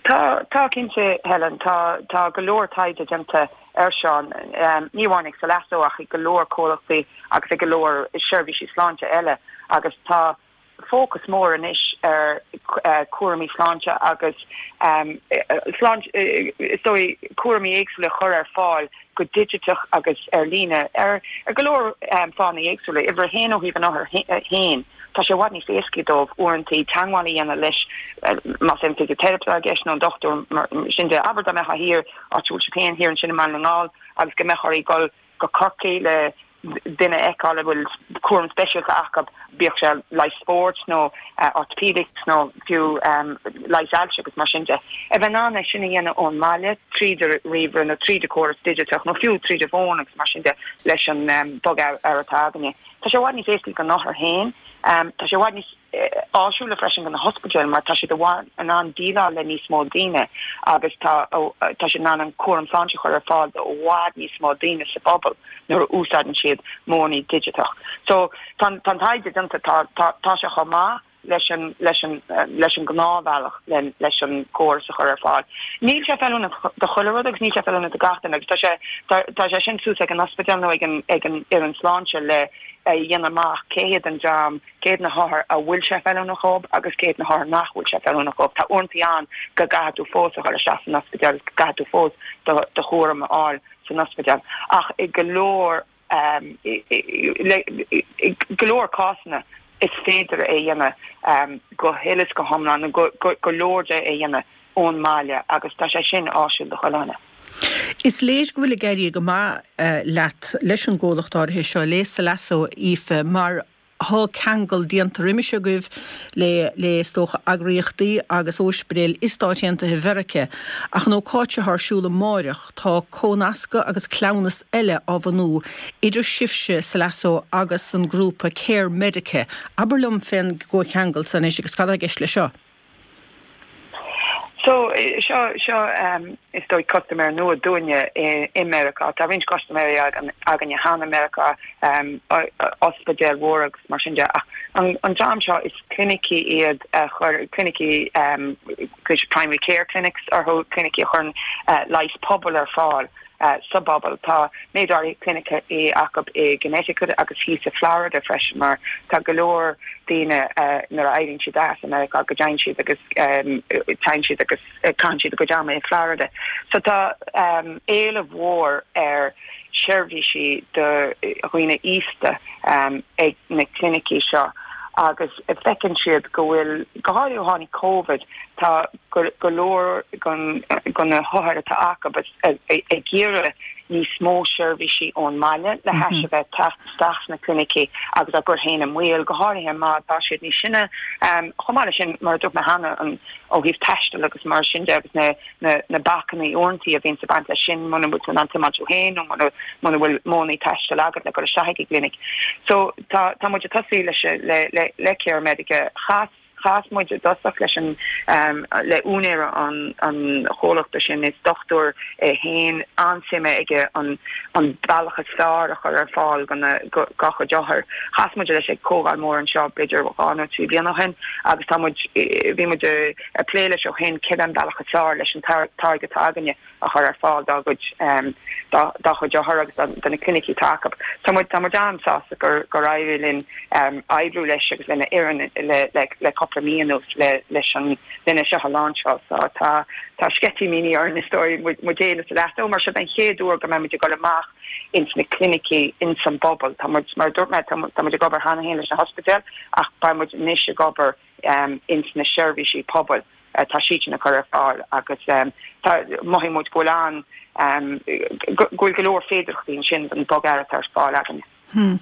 Speaker 5: Tá, tá cinnte, Helen. Tá, tá go leor taighde déanta air seo, ní amháin ag Salasso ach ag go leor comhlachtaí agus ag go leor seirbhísí sláinte eile agus tá fócas mór anois ar chúraimí sláinte agus sláinte, is dóigh, cúraimí éagsúla a chur ar fáil go digiteach agus ar líne ar go leor fáthanna éagsúla. Uimhir a haon ó thaobh an othair féin, tá sé i bhfad níos éascaí dóibh uaireanta teagmháil a dhéanamh leis, más é an fisiteiripe atá i gceist nó an dochtúir mar sin de. Abair dá mbeifeá thiar, áit a bhfuil sibh féin thiar ansin i mBaile na nGall agus go mbeadh oraibh dul go Corcaigh le duine a fheiceáil a bhfuil cúram speisialta acu, bíodh sé leigheas spóirt nó orthopedics nó fiú leigheas ailse agus mar sin de. A bheith in ann é sin a dhéanamh ón mbaile tríd an ríomhaire nó tríd an chóras digiteach nó fiú tríd an bhfón agus mar sin de leis an bogearra atá againne. Tá sé i bhfad níos éascaí don othar féin. Tá sé i bhfad níos áisiúla freisin do na hospidéil mar tá siad in ann déileáil le níos mó daoine agus tá tá siad in ann an cúram sláinte a chur ar fáil do i bhfad níos mó daoine sa bpobal nuair a úsáideann siad modhanna digiteach. So tá tá an taighde déanta, tá tá tá sé chomh maith leis an leis an leis an ngnáthbhealach le leis an gcóras a chur ar fáil. Níl sé feiliúnach do chuile rud agus níl sé feiliúnach do gach duine agus tá sé tá tá sé sin suas ag an ospidéal nó ag an ag an fhoireann sláinte le a dhéanamh amach cé hiad an dream, cé hiad na hothair a bhfuil sé feiliúnach dhóibh agus cé hiad na hothair nach bhfuil sé feiliúnach dhóibh. Tá uaireanta ann go gcaithfidh tú fós a dhul isteach san ospidéal agus go gcaithfidh tú fós do do chúram a fháil san ospidéal ach i go leor i go leor cásanna is féidir é a dhéanamh go huile is go hiomlán nó go leor de a dhéanamh ón mbaile agus tá sé sin áisiúil do chuile dhuine.
Speaker 1: Is léir go bhfuil ag éirí go maith leat leis an gcomhlacht áirithe seo, le Salaso, Aoife, mar thá ceangal déanta roimis agaibh le, le is dócha, eagraíochtaí agus óispidéil i Stáit Aontaithe Mheiriceá. Ach an ócáid seo ar siúl amáireach, tá comhnascadh agus cleamhnas eile á bhunú idir sibhse, Salaso, agus an grúpa Care Medica. Abair liom fén gcomhcheangal san anois agus cad atá i gceist leis seo?
Speaker 5: So, seo, seo is dóigh custaiméir nua dúinne i Meiriceá. Tá roinnt custaiméirí againne cheana i Meiriceá, ospidéil mhóra agus mar sin de, ach an dream seo is clinicí iad a chuir, clinicí, primary care clinics orthu, clinicí a chuireann leigheas pobail ar fáil. sa bpobal. Tá méid áirithe clinicí acu i gConnecticut agus thíos i Florida freisin mar tá go leor daoine nuair a éiríonn siad as i Meiriceá go dtéann siad agus téann siad agus caitheann siad a gcuid ama i Florida. So tá éileamh mhór ar sheirbhísí do dhaoine aosta ag na clinicí seo agus feiceann siad go bhfuil, go háirithe ó tháinig Covid, tá go leor de na hothair atá acu ag iarraidh níos mó seirbhísí ón mbaile le hais a bheith teacht isteach sna clinicí agus á gcur féin i mbaol, go háirithe má tá siad níos sine. Chomh maith leis sin, mar a dúirt mé cheana, an ó thaobh taistil agus mar sin de agus na na bacanna uaireanta a bhíonns ag baint leis sin muna bhfuil tú in ann tiomáint thú féin nó muna muna bhfuil modhanna taistil agat le dul isteach ag an gclinic. So tá tá muid ag tosú leis le le le Care Medica. Chas chas muid i dtosach leis an le úinéir an an chomhlachta sin, is dochtúir é féin, an-suim aige an an bealach is fearr a chur ar fáil do na dá chuid othar. Chas muid leis ag comhdháil mór anseo b'fhéidir dhá nó trí bliana ó shin agus tá muid bhí muid ag plé leis ó shin céard é an bealach is fearr leis an táirge atá againne a chur ar fáil dá gcuid dá chuid othar agus do na clinicí atá acu. Tá muid tá muid an-sásta gur gur éirigh linn oibriú leis agus lena fhoireann le le le cúpla mí anuas le leis an lena seo a láinseáil. So tá tá sceitimíní orainn is dóigh muid muid féin is leat mar seo an chéad uair go mbeidh muid ag dul amach ins na clinicí ins an bpobal. Tá muid mar a dúirt mé tá tá muid ag obair cheana féin leis na hospidéil ach beidh muid anois ag obair ins na seirbhísí pobail. Tá siad sin a chur ar fáil agus tá mothaíonn muid go bhfuil an go bhfuil go leor féidearthachtaí ansin don bogearra atá ar fáil againne.
Speaker 1: Hmm.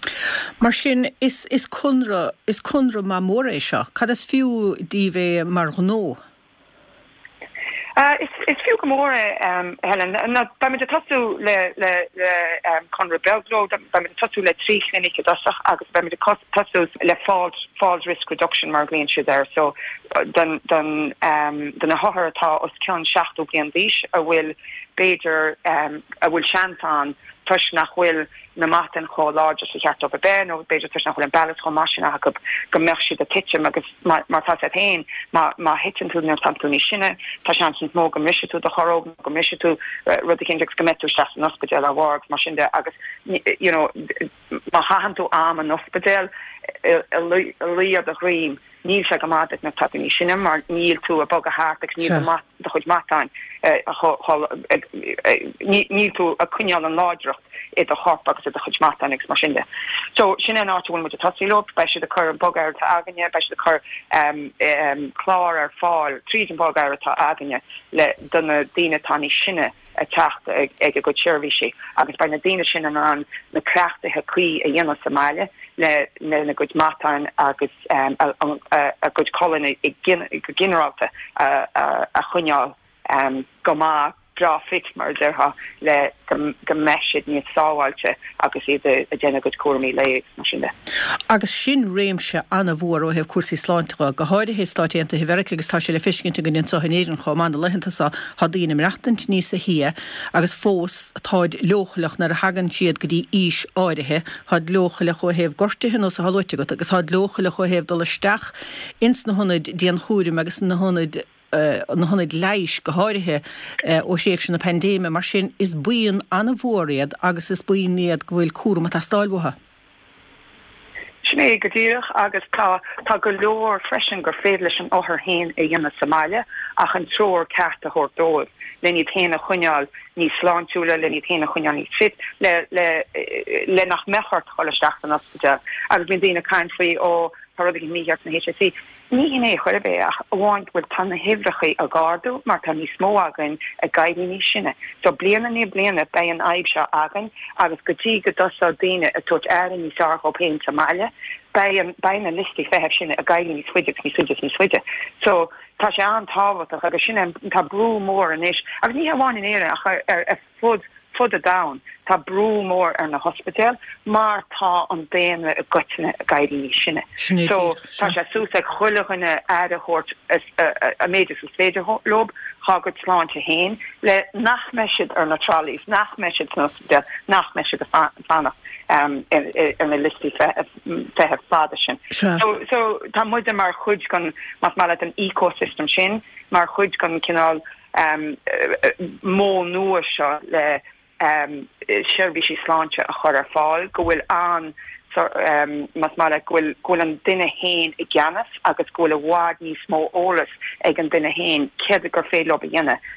Speaker 1: Mar sin is is conradh is conradh maith mór é seo. Cad is fiú daoibh é mar ghnó?
Speaker 5: Is is fiú go mór é, Helen. Beidh muid ag tosú le le le conradh beag leo, beidh muid ag tosú le trí chlinic i dtosach agus beidh muid ag tosú le falls falls risk reduction mar a ghlaonn siad air. So don don do na hothair atá os cionn seachtó bliain d'aois a bhfuil b'fhéidir a bhfuil seans ann toisc nach bhfuil na matáin chomh láidir is a cheart dóibh a bheith nó b'fhéidir toisc nach bhfuil an balance chomh maith sin acu go mbeadh siad ag titim agus mar tá a fhios agat féin má má thiteann tú nuair atá tú níos sine tá seans níos mó go mbrisfidh tú do chorróg nó go mbrisfidh tú rud eicínt agus go mbeidh tú isteach san ospidéal dá bharr agus mar sin de agus you know má chaitheann tú am in ospidéal ag luí ar do dhroim Níl sé go maith duit nuair atá tú níos sine mar níl tú ag bogadh thart agus níl do do chuid matáin níl tú ag coinneáil an láidreacht i do chorp agus i do chuid matáin agus mar sin de. So sin é an áit a bhfuil muid ag tosú leo. Beidh siad ag cur an bogearra atá againne, beidh siad ag cur clár ar fáil tríd an bogearra atá againne le do na daoine atá níos sine a teacht ag a gcuid seirbhísí agus beidh na daoine sin in ann na cleachtaithe cuí a dhéanamh sa mbaile lena gcuid matáin agus a gcuid colainne go ginearálta a choinneáil go maith, breá fit mar a déarfá, le go mbeidh siad níos sábháilte agus iad ag déanamh a gcuid cúraimí lae agus mar sin de.
Speaker 1: Agus sin réimse an-mhór ó thaobh cúrsaí sláinte dhe, go háirithe i Stáit Aontaithe Mheiriceá agus tá sé le feiscint againn anseo in Éirinn chomh maith na laethanta seo, tá daoine ag maireachtaint níosa shia agus fós táid leochaileach nuair a thagann siad go dtí aois áirithe, táid leochaileach ó thaobh gortuithe ar nós atá luaite agat agus táid leochaileach ó thaobh dul isteach ins na hionaid dianchúraim agus na hionaid na hionaid leighis go háirithe ó thréimhse na paindéime. Mar sin, is buíon an-mhór iad agus is buíon iad go bhfuil cúram ag teastáil uathu.
Speaker 5: Sin é go díreach agus tá tá go leor freisin gur féidir leis an othar féin a dhéanamh sa mbaile ach an treoir ceart a thabhairt dóibh len iad féin a choinneáil níos sláintiúla, len iad féin a choinneáil níos fit, le le le nach mbeadh ort dul isteach san ospidéal. Agus bíonn daoine ag caint faoi ó tá rud éigin mícheart sna HSE. Ní hin é chor ar bith ach amháin go bhfuil tá na huimhreacha ag ardú mar tá níos mó againn ag éirí níos sine. So bliain i ndiaidh bliana beidh an fhadhb seo againn agus go dtí go dtosóidh daoine ag tabhairt aire níos fearr dhóibh féin sa mbaile, beidh an beidh na liostaí feithimh sin ag éirí níos faide agus níos faide agus níos faide. So tá sé an-tábhachtach agus sin an tá brú mór anois agus ní hamháin in Éirinn ach ar ar fud fud an domhain, tá brú mór ar na hospidéil mar tá an daonra i gcoitinne ag éirí níos sine.
Speaker 1: Sin é
Speaker 5: So
Speaker 1: díreach,
Speaker 5: tá
Speaker 1: sea.
Speaker 5: sé suas ag chuile dhuine aire a thabhairt an méid is is féidir leo dhá gcuid sláinte féin le nach mbeidh siad ar na trolleys, nach mbeidh siad san ospidéal, nach mbeidh siad ag fanacht ar na liostaí feithimh fada sin.
Speaker 1: Sea.
Speaker 5: So so tá muide mar chuid den, más maith leat, an ecosystem sin, mar chuid den cineál modh nua seo le seirbhísí sláinte a chur ar fáil, go bhfuil an, más maith leat, go bhfuil, go bhfuil an duine féin i gceannas agus go bhfuil i bhfad níos mó eolas ag an duine féin céard gur féidir leo a dhéanamh.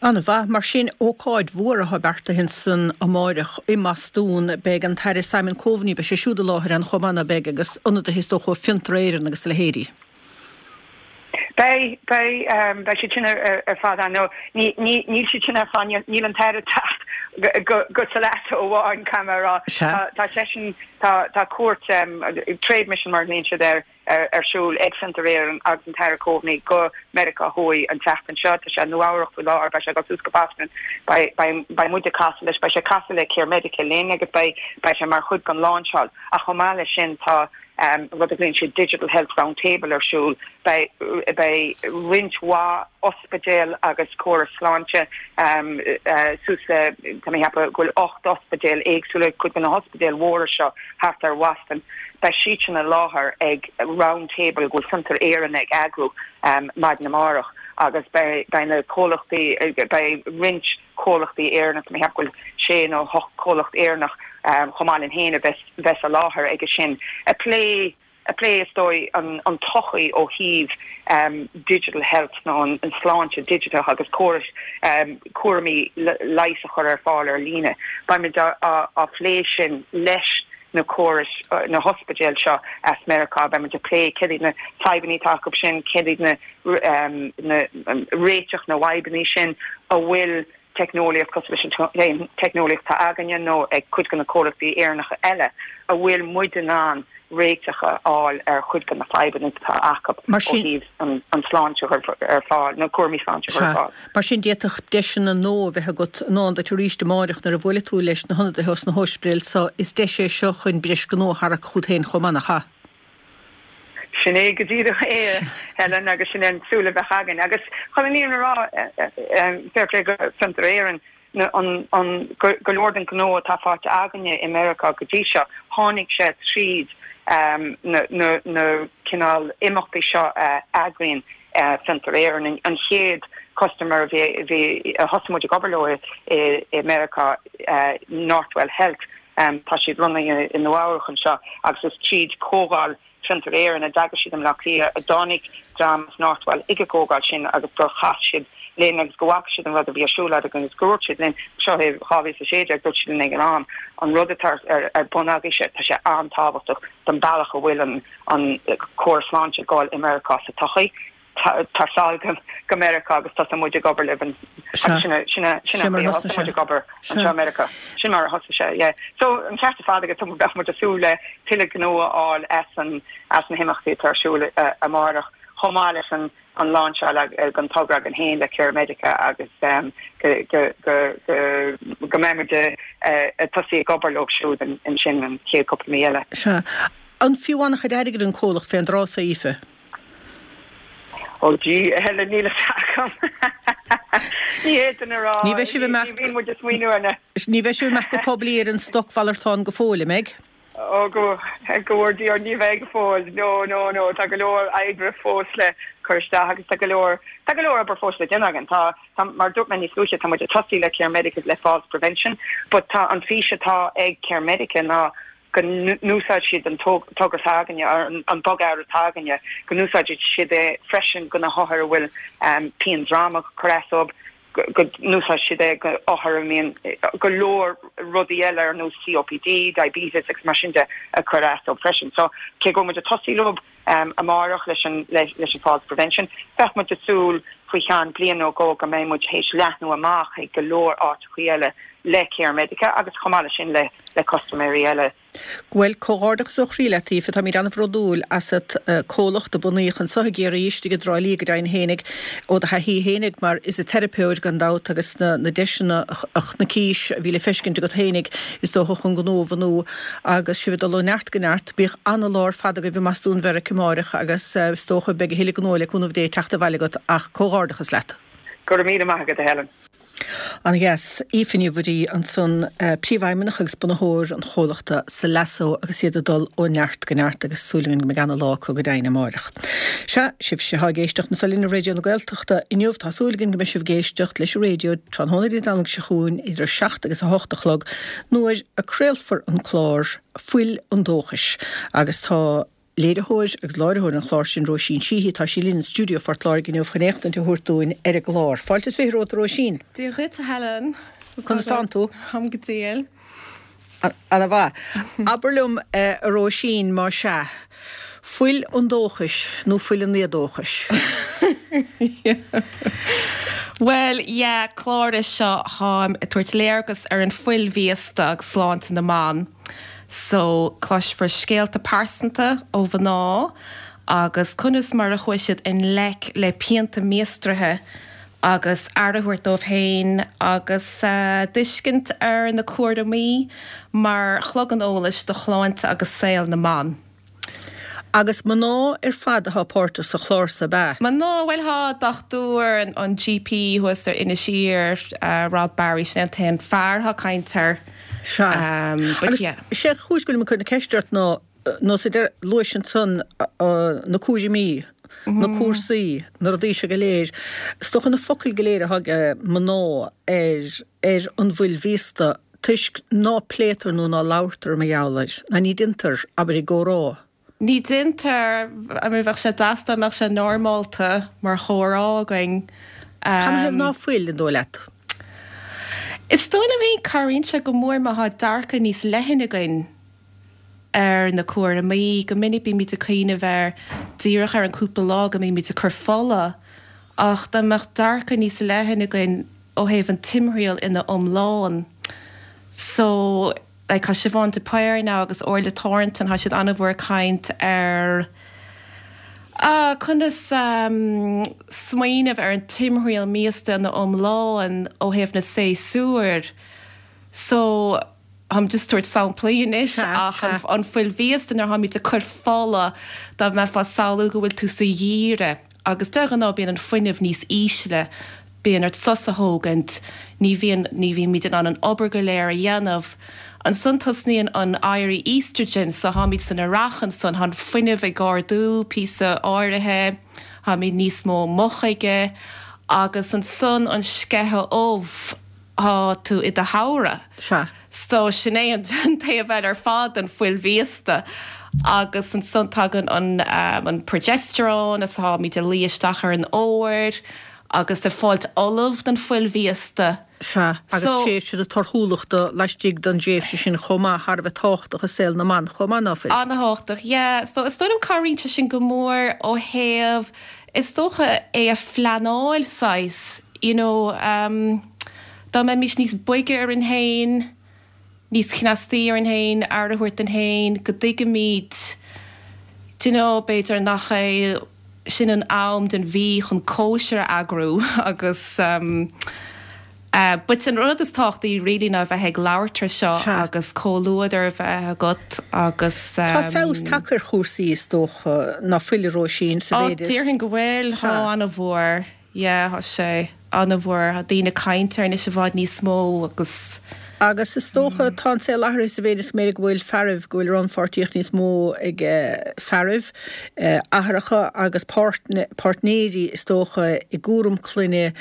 Speaker 1: An-mhaith. Mar sin, ócáid mhór atá beartaithe ansan amáireach i mBostún. Beidh an tAire Simon Coveney, beidh sé siúd i láthair ann chomh maith, ná beidh, agus ionadaithe is dócha ó Fiontar Éireann agus a leithéidí.
Speaker 5: Beidh, beidh, beidh siad sin ar fad ann. No, ní, ní, níl siad sin ar fad, níl, níl an tAire ag teacht go, go Salaso amháin, caithfidh mé a rá.
Speaker 1: Sea.
Speaker 5: Tá, tá seisean, tá, tá cuairt, trade mission mar a ghlaonn siad air, ar, ar siúl ag Fiontar Éireann agus an tAire Coveney go Meiriceá Thuaidh an tseachtain seo. Tá sé i Nua Eabhrac faoi láthair, beidh sé ag dul suas go Boston, beidh, beidh, beidh muid ag casadh leis, beidh sé ag casadh le CareMedica linn agus beidh, beidh sé mar chuid den lainseáil. Ach chomh maith leis sin tá, rud a ghlaonn siad Digital Health Round Table ar siúl. Beidh beidh roinnt mhaith ospidéal agus córas sláinte suas le, tá mé ag ceapadh go bhfuil ocht ospidéal éagsúla, cuid de na hospidéil mhóra seo thart ar Bhoston, beidh siadsan i láthair ag round table go bhfuil Fiontar Éireann ag eagrú maidin amárach agus beidh beidh na comhlachtaí, beidh roinnt comhlachtaí Éireannach, tá mé ag ceapadh go bhfuil sé nó hocht comhlacht Éireannach chomh maith linn féin a bheas bheas i láthair aige sin ag plé ag plé is dóigh an an todhchaí ó thaobh digital health nó an an sláinte digiteach agus córais cúraimí leighis a chur ar fáil ar líne. Beimid á á phlé sin leis na córais na hospidéil seo as Meiriceá, beimid ag plé céard iad na fadhbanna atá acu sin, céard iad na na réiteach na bhfadhbanna sin a bhfuil teicneolaíocht cosúil leis an teicneolaíocht atá againne nó ag cuid de na comhlachtaí Éireannacha eile a bhfuil muid in ann réiteach a fháil ar chuid de na fadhbanna atá acu
Speaker 1: Mar
Speaker 5: ó
Speaker 1: sin.
Speaker 5: thaobh an an tsláinte a chur ar fáil, na cúraimí sláinte a chur ar
Speaker 1: Sea.
Speaker 5: fáil.
Speaker 1: Mar sin d'fhéadfadh deiseanna nua a bheith agat i ndán duit arís amáireach nuair a bhuailfidh tú leis na hionadaithe os na hóispidéil so. Is deis é seo chun breis gnó a tharrac chugat féin chomh maith, nach ea?
Speaker 5: Sin é go díreach é, Helen, agus sin é an tsúil a bheadh againn. Agus chun an fhírinne a rá, fair play go Fiontar Éireann, an, an, go leor den ghnó atá faighte againne i Meiriceá go dtí seo, tháinig sé tríd na, na, na cineál imeachtaí seo a eagraíonn Fiontar Éireann. An chéad customer a bhí, a bhí, a thosaigh muid ag obair leo i, i Meiriceá, Northwell Health, tá siad lonnaithe i Nua Eabhrac anseo agus is tríd comhdháil Fiontar Éireann a d'eagraigh siad i mBleá Cliath a dtáinig dream as Northwell ag an gcomhdháil sin agus gur chas siad linn agus go bhfaca siad an rud a bhí ar siúl againn agus gur dhúirt siad linn, seo é dhá mhíle is a sé déag, dúirt siad linn ag an am, an rud atá ar bun agaibhse, tá sé an-tábhachtach don bealach a bhfuil an an córas sláinte ag dul i Meiriceá sa todhchaí. Tar sall go Meiriceá agus tosóidh muid ag obair libh agus sin sin sin an chaoi a thosaigh muid ag obair anseo i Meiriceá. Sin mar a thosaigh sé, yeah. So an ceart ar fad agat, bheadh muid ag súil le tuilleadh gnó a fháil as an as na himeachtaí atá ar siúl amárach, chomh maith leis an an lainseáil den togra againn féin le CareMedica agus go go go go go mbeidh muid ag tosaí ag obair leo siúd ansin an chéad cúpla mí eile.
Speaker 1: Sea. An fiú an-chuid airgid an comhlacht fén dtráth so, Aoife?
Speaker 5: Ó gee, a Helen, níl a fhios agam. Ní fhéadfainn a rá.
Speaker 1: Ní bheidh sibh ag imeacht.
Speaker 5: Ní bhíonn muid ag smaoineamh ar na.
Speaker 1: Ní bheidh sibh ag imeacht go poiblí ar an stocmhalartán go fóill, an mbeidh?
Speaker 5: Ó go, go bhfóire Dia orainn, ní bheidh go fóill. No, no, no, tá go leor oibre fós le cur isteach agus tá go leor, tá go leor obair fós le déanamh againn. Tá, tá, mar a dúirt mé níos luaithe, tá muid ag tosaí le CareMedica le falls prevention, but tá an fís atá ag CareMedica ná go n-úsáidfidh siad an togra s'againne, an bogearra atá againne, go n-úsáidfidh siad é freisin do na hothair a bhfuil pian droma ag cur as dóibh, go n-úsáideann siad é go othair a mbíonn go leor rudaí eile ar nós COPD, diabetes agus mar sin de ag cur as dóibh freisin. So cé go muid ag tosú leo um, amárach leis an leis, leis an falls prevention, bheadh muid ag súil faoi cheann bliain nó dhó go mbeidh muid théis leathnú amach ag go leor áiteachaí eile le Care Medica agus chomh maith leis sin le le custaiméirí eile.
Speaker 1: Bhuel comhghairdeachas ó chroí leat Aoife táimid an-bhródúil asat comhlacht a bunaíodh anseo i gCiarraí istigh i dTrá Lí go deimhin fhéinig ó do thaithí fhéinig mar fhisiteiripeoir gan dabht agus na, na deiseanna a chonaicis a bhí le feiscint agat fhéinig is dócha chun gnó a bhunú agus sibh ag dul ó neart go neart bíodh an-lá ar fad agaibh i mBostún Mheiriceá amárach agus is dócha beidh a thuilleadh gnó le cúnamh Dé teacht abhaile agat ach comhghairdeachas leat.
Speaker 5: Go raibh míle maith agat a Helen.
Speaker 1: An-dheas Aoife Ní Mhuirí ansan príomhfheidhmeannach agus bunaitheoir an chomhlachta Salasso agus iad ag dul ó neart go neart agus súil againn go mbeidh an-lá acu go deimhin amárach. Sea, sibhse atá ag éisteacht anseo linn ar Raidió na Gaeltachta inniu tá súil againn go mbeidh sibh ag éisteacht leis an raidió tráthnóna Dé Domhnaigh seo chugainn idir a seacht agus a hocht a chlog nuair a craolfar an clár Fuil an Dóchais agus tá léiritheoir agus láithreoir an chláir sin Róisín Sheehy tá sí linn in stiúideo Phort Láirge inniu chun éachtaint a thabhairt dúinn ar an gclár. Fáilte is fiche romhat Róisín.
Speaker 6: Dia dhuit a Helen.
Speaker 1: Conas tánn tú?
Speaker 6: Táim go diail.
Speaker 1: An-mhaith. Abair liom a Róisín má sea. Fuil an dóchais nó fuil an éadóchais.
Speaker 6: Well, yeah, clár é seo táim ag tabhairt léargas ar an fuil mhíosta agus sláinte na mban. So cloisfear scéalta pearsanta ó mhná agus conas mar a chuaigh siad i ngleic le pianta míostraithe agus aire a thabhairt dóibh féin agus uh, tuiscint ar na cúraimí mar chlog an eolais do shláinte agus saol na mban.
Speaker 1: Agus mná ar fad atá páirteach sa chlár sa ba.
Speaker 6: Mná bhuel tá dochtúir an, an GP thuas ar Inis Oírr uh, Rob Barry sin an t-aon fear atá ag caint air.
Speaker 1: Sea.
Speaker 6: Um, but yeah.
Speaker 1: Sé chúis go bhfuil mé ag cur na ceiste ort ná nó sa deir luais ansan uh, na cúraimí, na mhm. cúrsaí, na rudaí seo go léir. Is dócha na focail go léir a thug mná ar ar an bhfuil mhíosta toisc ná pléitear nó ná labhartar mar gheall air, ná ní déantar abair i gcomhrá.
Speaker 6: Ní déantar I mean, bheadh sé deas dá mbeadh sé normálta mar chomhrá againn.
Speaker 1: Canathaobh ná fuil an dóigh leat?
Speaker 6: Is dóigh liom féin cabhraíonn sé go mór má tá dearcadh níos leithne againn ar na cúraimí, go minic bímid ag cuimhneamh ar díreach ar an cúpla lá go mbímid ag cur fola, ach dá mbeadh dearcadh níos leithne againn ó thaobh an timthriall ina iomlán. So like, tá Siobhán de Paor now agus Orla Thornton tá siad an-mhór ag caint ar Uh, conas um, smaoineamh ar an timthriall míosta ina iomlán ó thaobh na séasúr. So I'm just tabhairt samplaí anois ach an, an fuil mhíosta nuair atá muid ag cur fola dá mbeifeá ag samhlú go bhfuil tú sa gheimhreadh agus de ghnáth bíonn an fuinneamh níos ísle, bíonn ort sos a thógaint, ní bhíonn ní bhímid in ann an obair go léir a dhéanamh. Ansan tosnaíonn an éirí estrogen so táimid san earrach ansan tá an fuinneamh ag ardú píosa áirithe, táimid níos mó mochaige, agus ansan an sceitheadh ubh tá tú i do shamhradh.
Speaker 1: Sea.
Speaker 6: So sin é an taobh eile ar fad an fuil mhíosta. Agus ansan tagann an, um, an progesterone is táimid ag luí isteach ar an fhómhar agus ag fáilt ullamh don fuil mhíosta.
Speaker 1: Sea, agus
Speaker 6: So-
Speaker 1: tréimhse na torthúlachta laistigh den tréimhse sin chomh maith thar a bheith tábhachtach i saol na mban chomh maith ná fuil.
Speaker 6: An-tábhachtach, yeah. So is dóigh liom cabhraíonn sé sin go mór ó thaobh is dócha é a phleanáil saghas, you know, um, dá mbeimis níos boige orainn féin, níos cneastaí orainn féin, aire a thabhairt dúinn féin, go dtuigimid, do you know, b'fhéidir nach é sin an am den mhí chun cóisir a eagrú agus um, Uh, but an rud is tábhachtaí really ná bheith ag labhairt air seo
Speaker 1: Sea.
Speaker 6: agus comhluadar a bheith agat agus
Speaker 1: Tá
Speaker 6: um,
Speaker 1: feabhas tagtha ar chúrsaí is dócha ná fuil a Róisín sa
Speaker 6: Ó,
Speaker 1: mhéid is.
Speaker 6: déarfainn go bhfuil
Speaker 1: Sea.
Speaker 6: tá an-mhór yeah, tá sé an-mhór Tá daoine ag caint air anois i bhfad níos mó agus
Speaker 1: Agus is dócha tá an saol athraithe sa mhéid is méid go bhfuil fearaibh go bhfuil rannpháirtíocht níos mó ag eh, fearaibh eh, athracha agus páirtne- páirtnéirí is dócha i gcúram clainne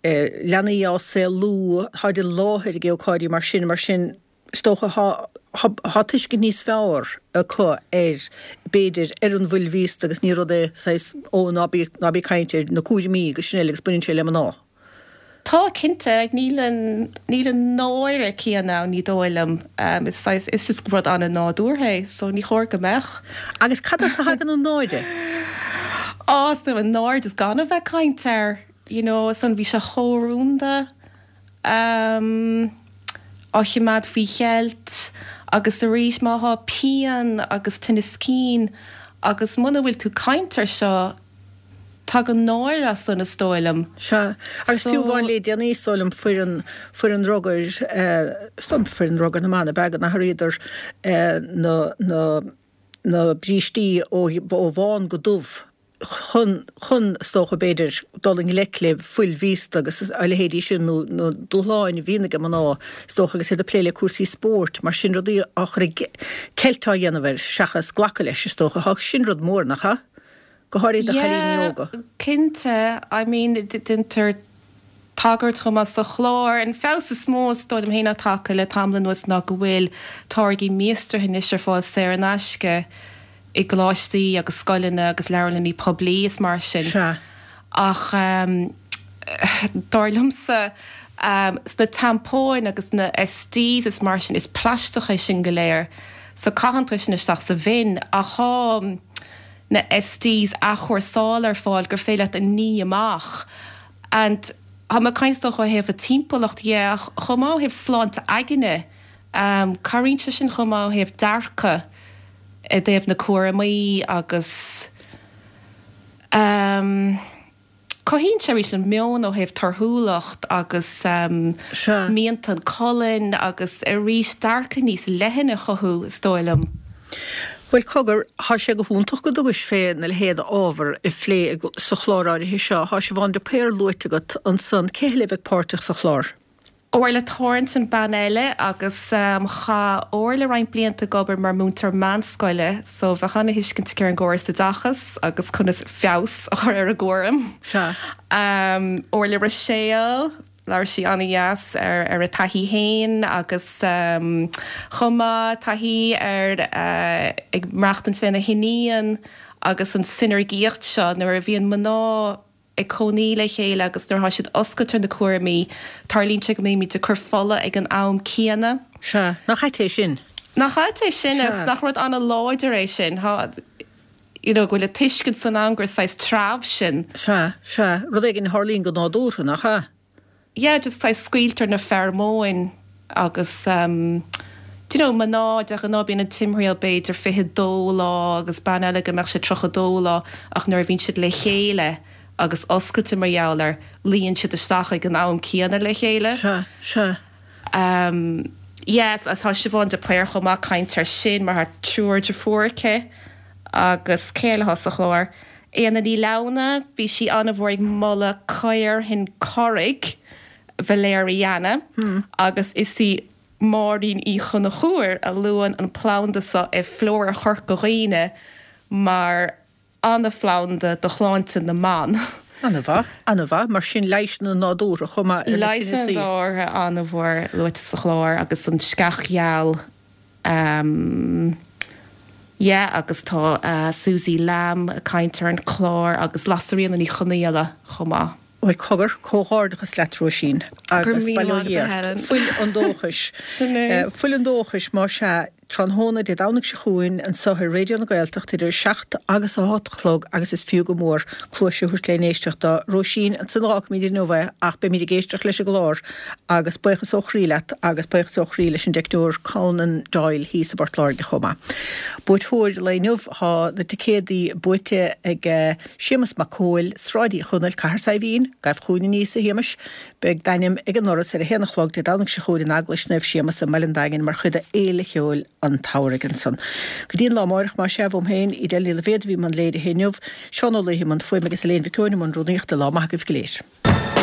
Speaker 1: eh, leanaí á saolú táid i láthair ag ócáidí mar sin mar sin is dócha tá tuiscint níos fearr acu ar b'fhéidir ar an bhfuil mhíosta agus ní rud é saghas ó ná bí ná bí caint air na cúraimí agus sin eile agus baineann sé le mná.
Speaker 6: Tá cinnte níl an níl an náire céanna ann ní dóigh liom um, is saghas is just rud an-nádúrtha é, so ní chóir go mbeadh.
Speaker 1: Agus cad as a thagann an náire?
Speaker 6: Á so an náire is gan a bheith caint air, you know, san bhí sé chomh rúnda um, á choimeád faoi cheilt agus arís má thá pian agus tinneas cinn agus muna bhfuil tú caint air seo tagann náire as san is dóigh liom.
Speaker 1: Sea, agus
Speaker 6: So-
Speaker 1: fiú amháin le déanaí is dóigh liom foireann foireann rugair eh, is dóigh liom foireann rugair na mban ab ea go n-athraíodar eh, na na na brístí ó ó bhán go dubh chun chun is dócha b'fhéidir dul i ngleic le fuil mhíosta agus a leithéidí sin nó nó dúshláin a bhíonn ag mná is dócha agus iad ag plé le cúrsaí spóirt mar sin rudaí á chur i gceilt á dhéanamh air seachas glacadh leis is dócha thá sin rud mór nach ea? Go háirithe do chailíní óga.
Speaker 6: Cinnte, I mean déantar tagairt chomh maith sa chlár an feabhas is mó is dóigh liom féin atá tagtha le tamall anuas ná go bhfuil táirgí míostraithe anois ar fáil saor in aisce i gcoláistí agus scoileanna agus leabharlanna poiblí is mar sin.
Speaker 1: Sea.
Speaker 6: Ach um, dar liomsa um, sna tampóin agus na SDs is mar sin is plaisteach é sin go léir, so caitheann tú sin isteach sa bhin ach tá na SDs athchúrsála ar fáil gur féidir leat a ní amach. And tá mé ag caint ó thaobh an timpeallacht dhe ach chomh maith ó thaobh sláinte aigne, um, cabhraíonn sé sin chomh maith ó thaobh dearcadh i dtaobh na cúraimí agus um, cothaíonn sé arís an meon ó thaobh torthúlacht agus um,
Speaker 1: Sea.
Speaker 6: mianta an colainn agus arís dearcadh níos leithne a chothú is dóigh liom.
Speaker 1: Bhuel cogar, thá sé go hiontach go dtugais fé na leithéid ábhar a phlé sa chlár áirithe seo, thá Siobhán de Paor luaite agat ansan cé eile a bheidh páirteach sa chlár.
Speaker 6: Orla Thornton bean eile agus um, chaith Orla roinnt blianta ag obair mar múinteoir meánscoile, so bheadh an-thuiscint aici ar an gcóras oideachais agus conas feabhas a chur ar an gcúram.
Speaker 1: Sea.
Speaker 6: Um, Orla Roiséal, labhair sí an-deas ar ar a taithí féin agus um, chomh maith taithí ar uh, ag maireachtaint lena hiníon agus an sineirgíocht seo nuair a bhíonn mná ag cónaí le chéile agus nuair atá siad oscailte ar na cúraimí tarlaíonn sé go mbímid ag cur fola ag an am céanna.
Speaker 1: Sea, nach ait é sin?
Speaker 6: Nach ait é sin
Speaker 1: Sea.
Speaker 6: nach rud an-láidir é sin ha you know, go bhfuil tuiscint san am gur saghas treabh sin.
Speaker 1: Sea, sea, rud éigin a tharlaíonn go nádúrtha nach ea?
Speaker 6: Yeah, just saghas scaoiltear na fearmóin agus um, do you know, mná de ghnáth bíonn an timthriall b'fhéidir fiche dó lá agus bean eile go mbeadh sé tríocha dó lá ach nuair a bhíonn siad le chéile agus oscailte mar gheall air luíonn siad isteach ag an am céanna le chéile.
Speaker 1: Sea, sea.
Speaker 6: Um, yes, as tá Siobhán de Paor chomh maith caint air sin mar thá triúr deirfiúr aici agus cé eile atá sa chlár. Éanna Ní Lamhna, bhí sí an-mhór ag moladh caorthann Corraigh Valeriana
Speaker 1: hmm.
Speaker 6: agus is í Máirín Uí Chonchúir a luann an planda seo i Flóra Chorca Dhuibhne mar an-phlanda do shláinte na mban.
Speaker 1: An-mhaith, an-mhaith, mar sin leigheasanna nádúrtha chomh maith ar na
Speaker 6: Leigheasanna
Speaker 1: tinneasaí.
Speaker 6: nádúrtha an-mhór luaite sa chlár agus an sceach gheal um, yeah, agus tá uh, Suzy Lamb ag caint ar an chlár agus Lasairfhíona Ní Chonghaile chomh maith.
Speaker 1: Bhuel cogar comhghairdeachas leat Róisín agus
Speaker 6: Go raibh míle
Speaker 1: bail ó
Speaker 6: maith agat,
Speaker 1: Dhia ort.
Speaker 6: Helen.
Speaker 1: Fuil an dóchais.
Speaker 6: Sin é.
Speaker 1: Eh, Fuil an dóchais má sea tráthnóna Dé Domhnaigh seo chugainn anseo ar Raidió na Gaeltachta idir seacht agus a hocht a chlog agus is fiú go mór cluas a thabhairt le n-éisteacht do Róisín ansan fágfaimid inniu é ach beimid ag éisteacht leis an gclár agus buíochas ó chroí leat agus buíochas ó chroí leis an dteicneoir Conan Doyle thíos i bPort Láirge chomh maith. Buaiteoir lae inniu thá na ticéadaí buaite ag eh, Séamus Mac Cóil, Sráid Uí Chonaill Cathair Saidhbhín, gabh chugainn aníos a Shéamais, beidh d'ainm ag an ndoras ar a haon a chlog Dé Domhnaigh seo chugainn in Eaglais Naomh Séamus i mBaile an Daingin mar chuid de Fhéile Cheoil an tSamhraidh ansan. Go dtí an lá amárach má sea uaim féin Edel Ní Loibhéad a bhí i mbun léirithe inniu, Seán Ó Laoithe i mbun fuaime agus Elaine Mhic Eoin i mbun rúnaíochta lá maith agaibh go léir.